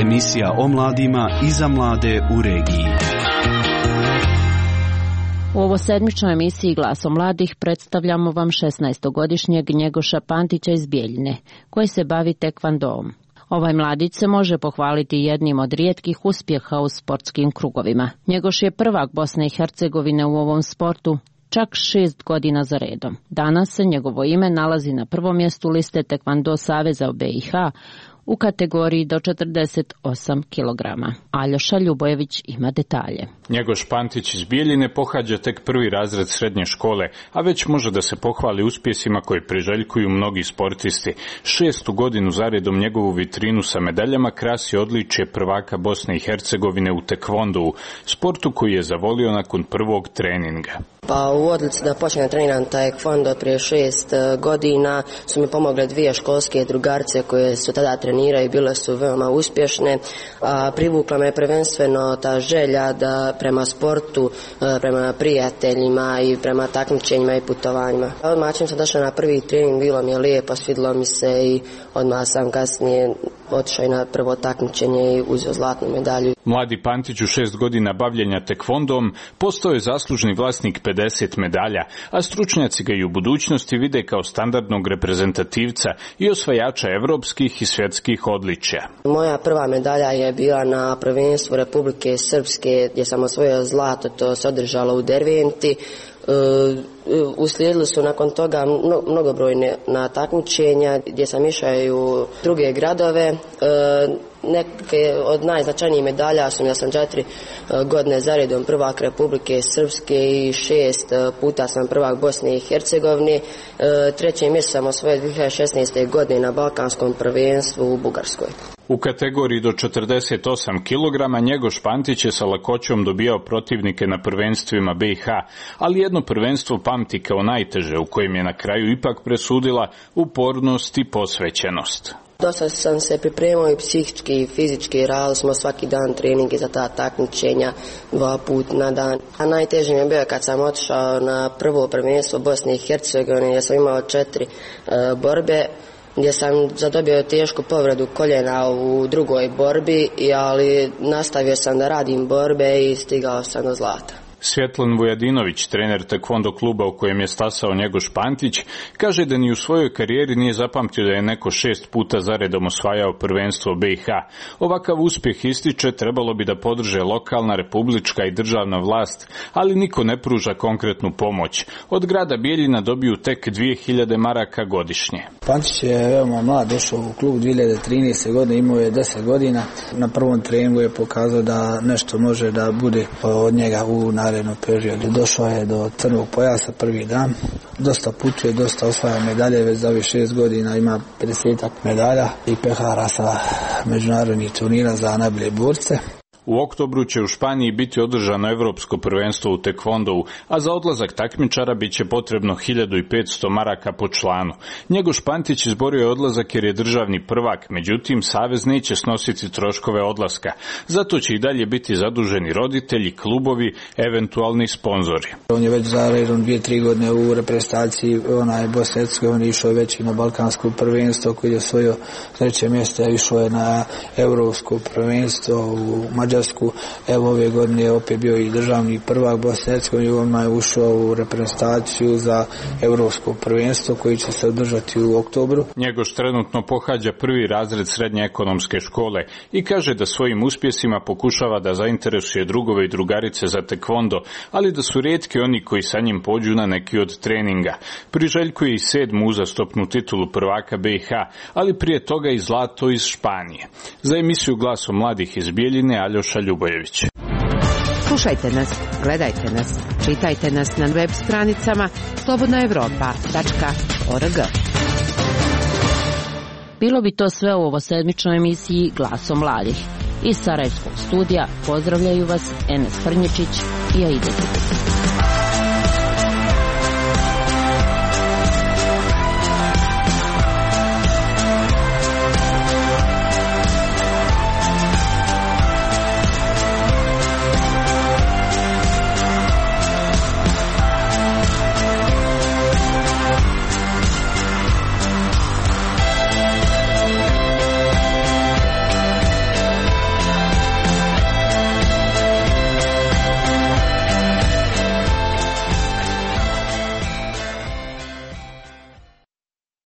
Emisija o mladima i za mlade u regiji. U ovosedmičnoj emisiji Glasom mladih predstavljamo vam šesnaestogodišnjeg Njegoša Pantića iz Bijeljine, koji se bavi tekvandoom. Ovaj mladić se može pohvaliti jednim od rijetkih uspjeha u sportskim krugovima. Njegoš je prvak Bosne i Hercegovine u ovom sportu čak šest godina za redom. Danas se njegovo ime nalazi na prvom mjestu liste Tekvando Saveza u B i H u kategoriji do četrdeset osam kilograma. Aljoša Ljubojević ima detalje. Njegoš Pantić iz Bijeljine pohađa tek prvi razred srednje škole, a već može da se pohvali uspjesima koje priželjkuju mnogi sportisti. Šestu godinu zaredom njegovu vitrinu sa medaljama krasi odličje prvaka Bosne i Hercegovine u tekvondou, sportu koji je zavolio nakon prvog treninga. Pa u odluci da počnem treniram taekwondo prije šest godina su mi pomogle dvije školske drugarce koje su tada treniraju i bile su veoma uspješne. A, privukla me prvenstveno ta želja da prema sportu, prema prijateljima i prema takmičenjima i putovanjima. Odmah čim sam došla na prvi trening, bilo mi je lijepo, svidilo mi se i odmah sam kasnije otišao i na prvo takmičenje i uzeo zlatnu medalju. Mladi Pantić u šest godina bavljenja tekvondom postao je zaslužni vlasnik pedeset medalja, a stručnjaci ga i u budućnosti vide kao standardnog reprezentativca i osvajača evropskih i svjetskih odličja. Moja prva medalja je bila na prvenstvu Republike Srpske gdje sam osvojio zlato, to se održalo u Derventi. Uh, uslijedili su nakon toga mnogobrojne na takmičenja gdje sam išao i u druge gradove. Uh, neke od najznačajnijih medalja su ja sam četiri uh, godine zaredom prvak Republike Srpske i šest uh, puta sam prvak Bosne i Hercegovine. Uh, treće mjesto sam osvojio dvije hiljade šesnaeste. godine na Balkanskom prvenstvu u Bugarskoj. U kategoriji do četrdeset osam kilograma Njegoš Pantić je sa lakoćom dobijao protivnike na prvenstvima B i H, ali jedno prvenstvo pamti kao najteže, u kojem je na kraju ipak presudila upornost i posvećenost. Dosta sam se pripremao i psihički i fizički, radili smo svaki dan treninge za ta takmičenja, dva puta na dan. A najteže mi je bio kad sam otišao na prvo prvenstvo Bosne i Hercegovine, gdje sam imao četiri uh, borbe, gdje sam zadobio tešku povredu koljena u drugoj borbi, ali nastavio sam da radim borbe i stigao sam do zlata. Svjetlan Vujadinović, trener tekvondo kluba u kojem je stasao Njegoš Pantić, kaže da ni u svojoj karijeri nije zapamtio da je neko šest puta zaredom osvajao prvenstvo B i H. Ovakav uspjeh, ističe, trebalo bi da podrže lokalna, republička i državna vlast, ali niko ne pruža konkretnu pomoć. Od grada Bijeljina dobiju tek dvije hiljade maraka godišnje. Pantić je veoma mlad, došao u klub dvije hiljade trinaeste. godine, imao je deset godina. Na prvom treningu je pokazao da nešto može da bude od njega u narednom periodu. Došao je do crnog pojasa prvi dan, dosta putuje, dosta osvaja medalje, već za ovih šest godina ima pedeset medalja i pehara sa međunarodnih turnira za najbolje borce. U oktobru će u Španiji biti održano evropsko prvenstvo u tekvondou, a za odlazak takmičara bit će potrebno hiljadu petsto maraka po članu. Njegoš Pantić izborio je odlazak jer je državni prvak, međutim savez neće snositi troškove odlaska. Zato će i dalje biti zaduženi roditelji, klubovi, eventualni sponzori. On je već za redom dvije, tri godine u reprezentaciji, onaj Bosne i Hercegovine, išao je već i na balkansko prvenstvo koje je osvojio treće mjesto, išao je na evropsko prvenstvo u Mađarskoj. Bugarsku. Evo ove godine je opet bio i državni prvak Bosne i Hercegovine, on je ušao u reprezentaciju za evropsko prvenstvo koji će se održati u oktobru. Njegoš trenutno pohađa prvi razred srednje ekonomske škole i kaže da svojim uspjesima pokušava da zainteresuje drugove i drugarice za tekvondo, ali da su rijetki oni koji sa njim pođu na neki od treninga. Priželjkuje i sedmu uzastopnu titulu prvaka B i H, ali prije toga i zlato iz Španije. Za emisiju Glasom mladih iz Bijeljine, Aljoša Ljubojević. Slušajte nas, gledajte nas, čitajte nas na web stranicama slobodna evropa tačka org. Bilo bi to sve u ovosedmičnoj emisiji Glasom mladih. Iz Sarajevskog studija pozdravljaju vas Enes Frnječić i Aida Đukić.